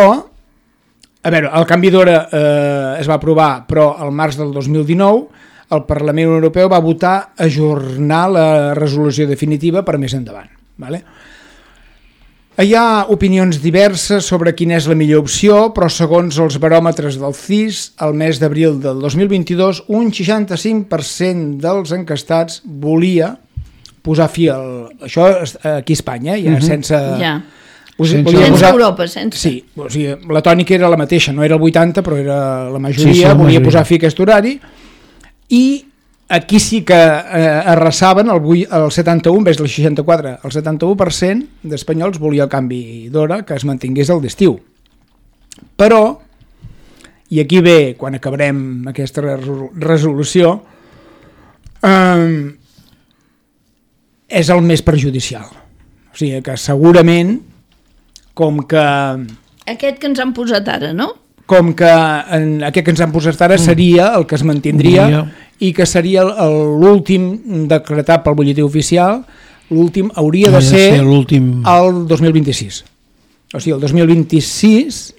a veure, el canvi d'hora eh, es va aprovar, però al març del dos mil dinou el Parlament Europeu va votar ajornar la resolució definitiva per més endavant. Vale? Hi ha opinions diverses sobre quina és la millor opció, però segons els baròmetres del C I S, al mes d'abril del dos mil vint-i-dos, un seixanta-cinc per cent dels encastats volia posar fi al... Això aquí a Espanya, ja Mhm. sense... Ja. Us- Sense- volia Sense posar- Europa, sense. Sí, o sigui, la tònica era la mateixa, no era el vuitanta, però era la majoria, Sí, sí, la volia majoria. posar fi a aquest horari, i aquí sí que eh, arrasaven el, vuit- el setanta-u, en vez del seixanta-quatre, el setanta-u per cent d'espanyols volia el canvi d'hora que es mantingués el d'estiu. Però, i aquí ve, quan acabarem aquesta resol- resolució, eh, és el més perjudicial. O sigui que segurament, com que Aquest que ens han posat ara, no? com que en aquest que ens han posat ara seria el que es mantindria Diria. i que seria el- el- l'últim decretat pel butlletí oficial, l'últim hauria de Ha de ser ser l'últim. el dos mil vint-i-sis. O sigui, el dos mil vint-i-sis,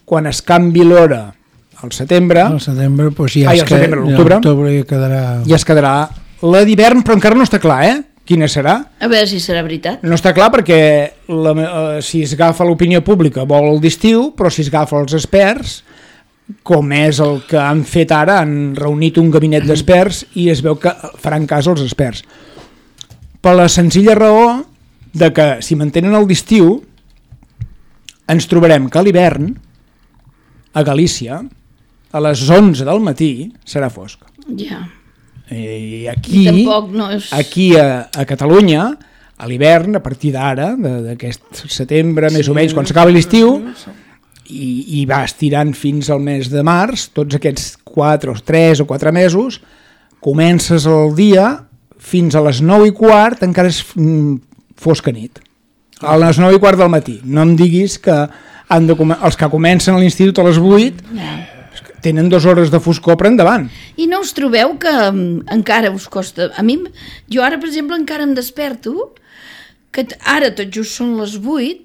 quan es canvi l'hora al setembre, Al setembre, doncs ja Ai, es al setembre, que- l'octubre. l'octubre ja quedarà... ja es quedarà la d'hivern, però encara no està clar, eh? Quina serà? A veure si serà veritat. No està clar perquè la, eh, si es agafa l'opinió pública vol el d'estiu, però si es agafa els experts, com és el que han fet ara, han reunit un gabinet d'experts i es veu que faran cas als experts. Per la senzilla raó de que si mantenen el d'estiu ens trobarem que a l'hivern a Galícia a les onze del matí serà fosc. Ja. I I aquí, tampoc no és... aquí a, a Catalunya, a l'hivern, a partir d'ara, de- d'aquest setembre, més o menys, quan s'acaba l'estiu, i, i va estirant fins al mes de març, tots aquests quatre o tres o quatre mesos, comences el dia fins a les nou i quart, encara és mm, fosca nit. A les nou i quart del matí. No em diguis que han de, come- els que comencen a l'institut a les vuit Ja. tenen dues hores de foscor per endavant. I no us trobeu que um, encara us costa... A mi, jo ara, per exemple, encara em desperto, que t- ara tot just són les vuit,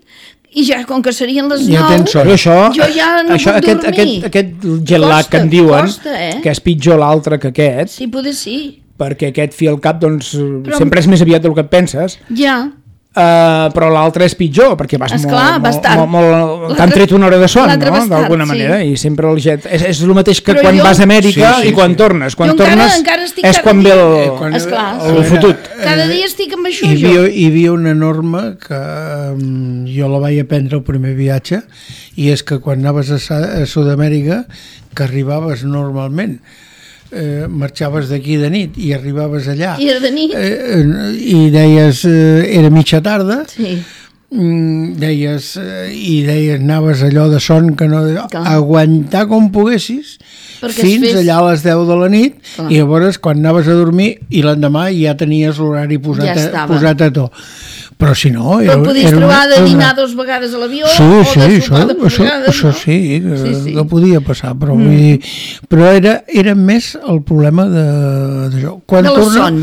i ja com que serien les Ja nou, tens son. Però això, jo ja no això, puc aquest, dormir. aquest, aquest jet lag Costa, que en diuen, costa, eh? que és pitjor l'altre que aquest, Sí, poder sí. perquè aquest fi al cap doncs, Però- sempre és més aviat del que et penses, Ja. uh, però l'altre és pitjor, perquè vas Esclar, molt, vas molt, tard. molt, molt, L'altre- t'han tret una hora de son, l'altre no? vas tard, d'alguna sí. manera, i sempre el jet... És, és el mateix que Però quan jo- vas a Amèrica Sí, sí, i quan sí. tornes. Quan Jo encara- tornes encara estic és cada quan ve dia- el, Eh, quan- Esclar. el Era- fotut. Cada dia estic amb això, Hi havia, jo. hi havia una norma que um, jo la vaig aprendre el primer viatge, i és que quan anaves a, Sa- a Sud-amèrica, que arribaves normalment, eh, marxaves d'aquí de nit i arribaves allà, I era de nit. eh, eh, i deies, eh, era mitja tarda, Sí. mm, deies, eh, i deies, anaves allò de son que no... Clar. Aguantar com poguessis, Perquè es fins fes- allà a les deu de la nit, Clar. i llavors quan anaves a dormir i l'endemà ja tenies l'horari posat, Ja a, estava. posat a to. Però si no... Però el podies era una- trobar de era dinar una- dos vegades a l'avió Sí, o sí, de això, sopar dues això, vegades, això no? sí, que, Sí, sí. que podia passar, però, mm. vull dir, però era, era més el problema de- d'això. Quan De la torna- son.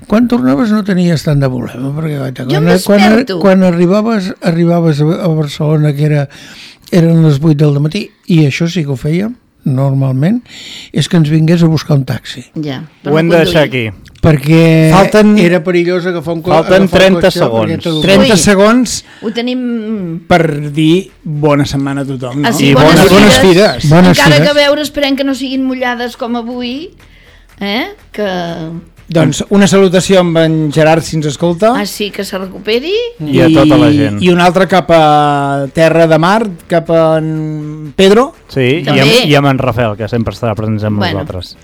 Quan tornaves no tenies tant de problema, perquè guaita, Jo em quan, quan, desperto. quan arribaves, arribaves a a Barcelona, que era, eren les vuit del matí, i això sí que ho fèiem, normalment, és que ens vingués a buscar un taxi. Ja, Ho hem de deixar aquí. Perquè Falten- era perillós agafar un co- Falten agafar el trenta cotxe segons. perquè t'adorm- trenta Ui. segons Ho tenim... per dir bona setmana a tothom, no? Ah, sí, I bones, bones- bones fires. fires. Bones Encara fires. que a veure, esperem que no siguin mullades com avui, eh? Que... Doncs una salutació amb en Gerard, si ens escolta. Ah, sí, que se recuperi. I a tota la gent. I una altra cap a Terra de Mar, cap a en Pedro. Sí, i També. amb, i amb en Rafael, que sempre estarà present amb Bueno. nosaltres.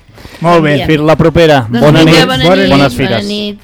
Molt bé. Bien. Fins la propera. Doncs Bona vinga, nit, bona nit, bones bona fires. nit.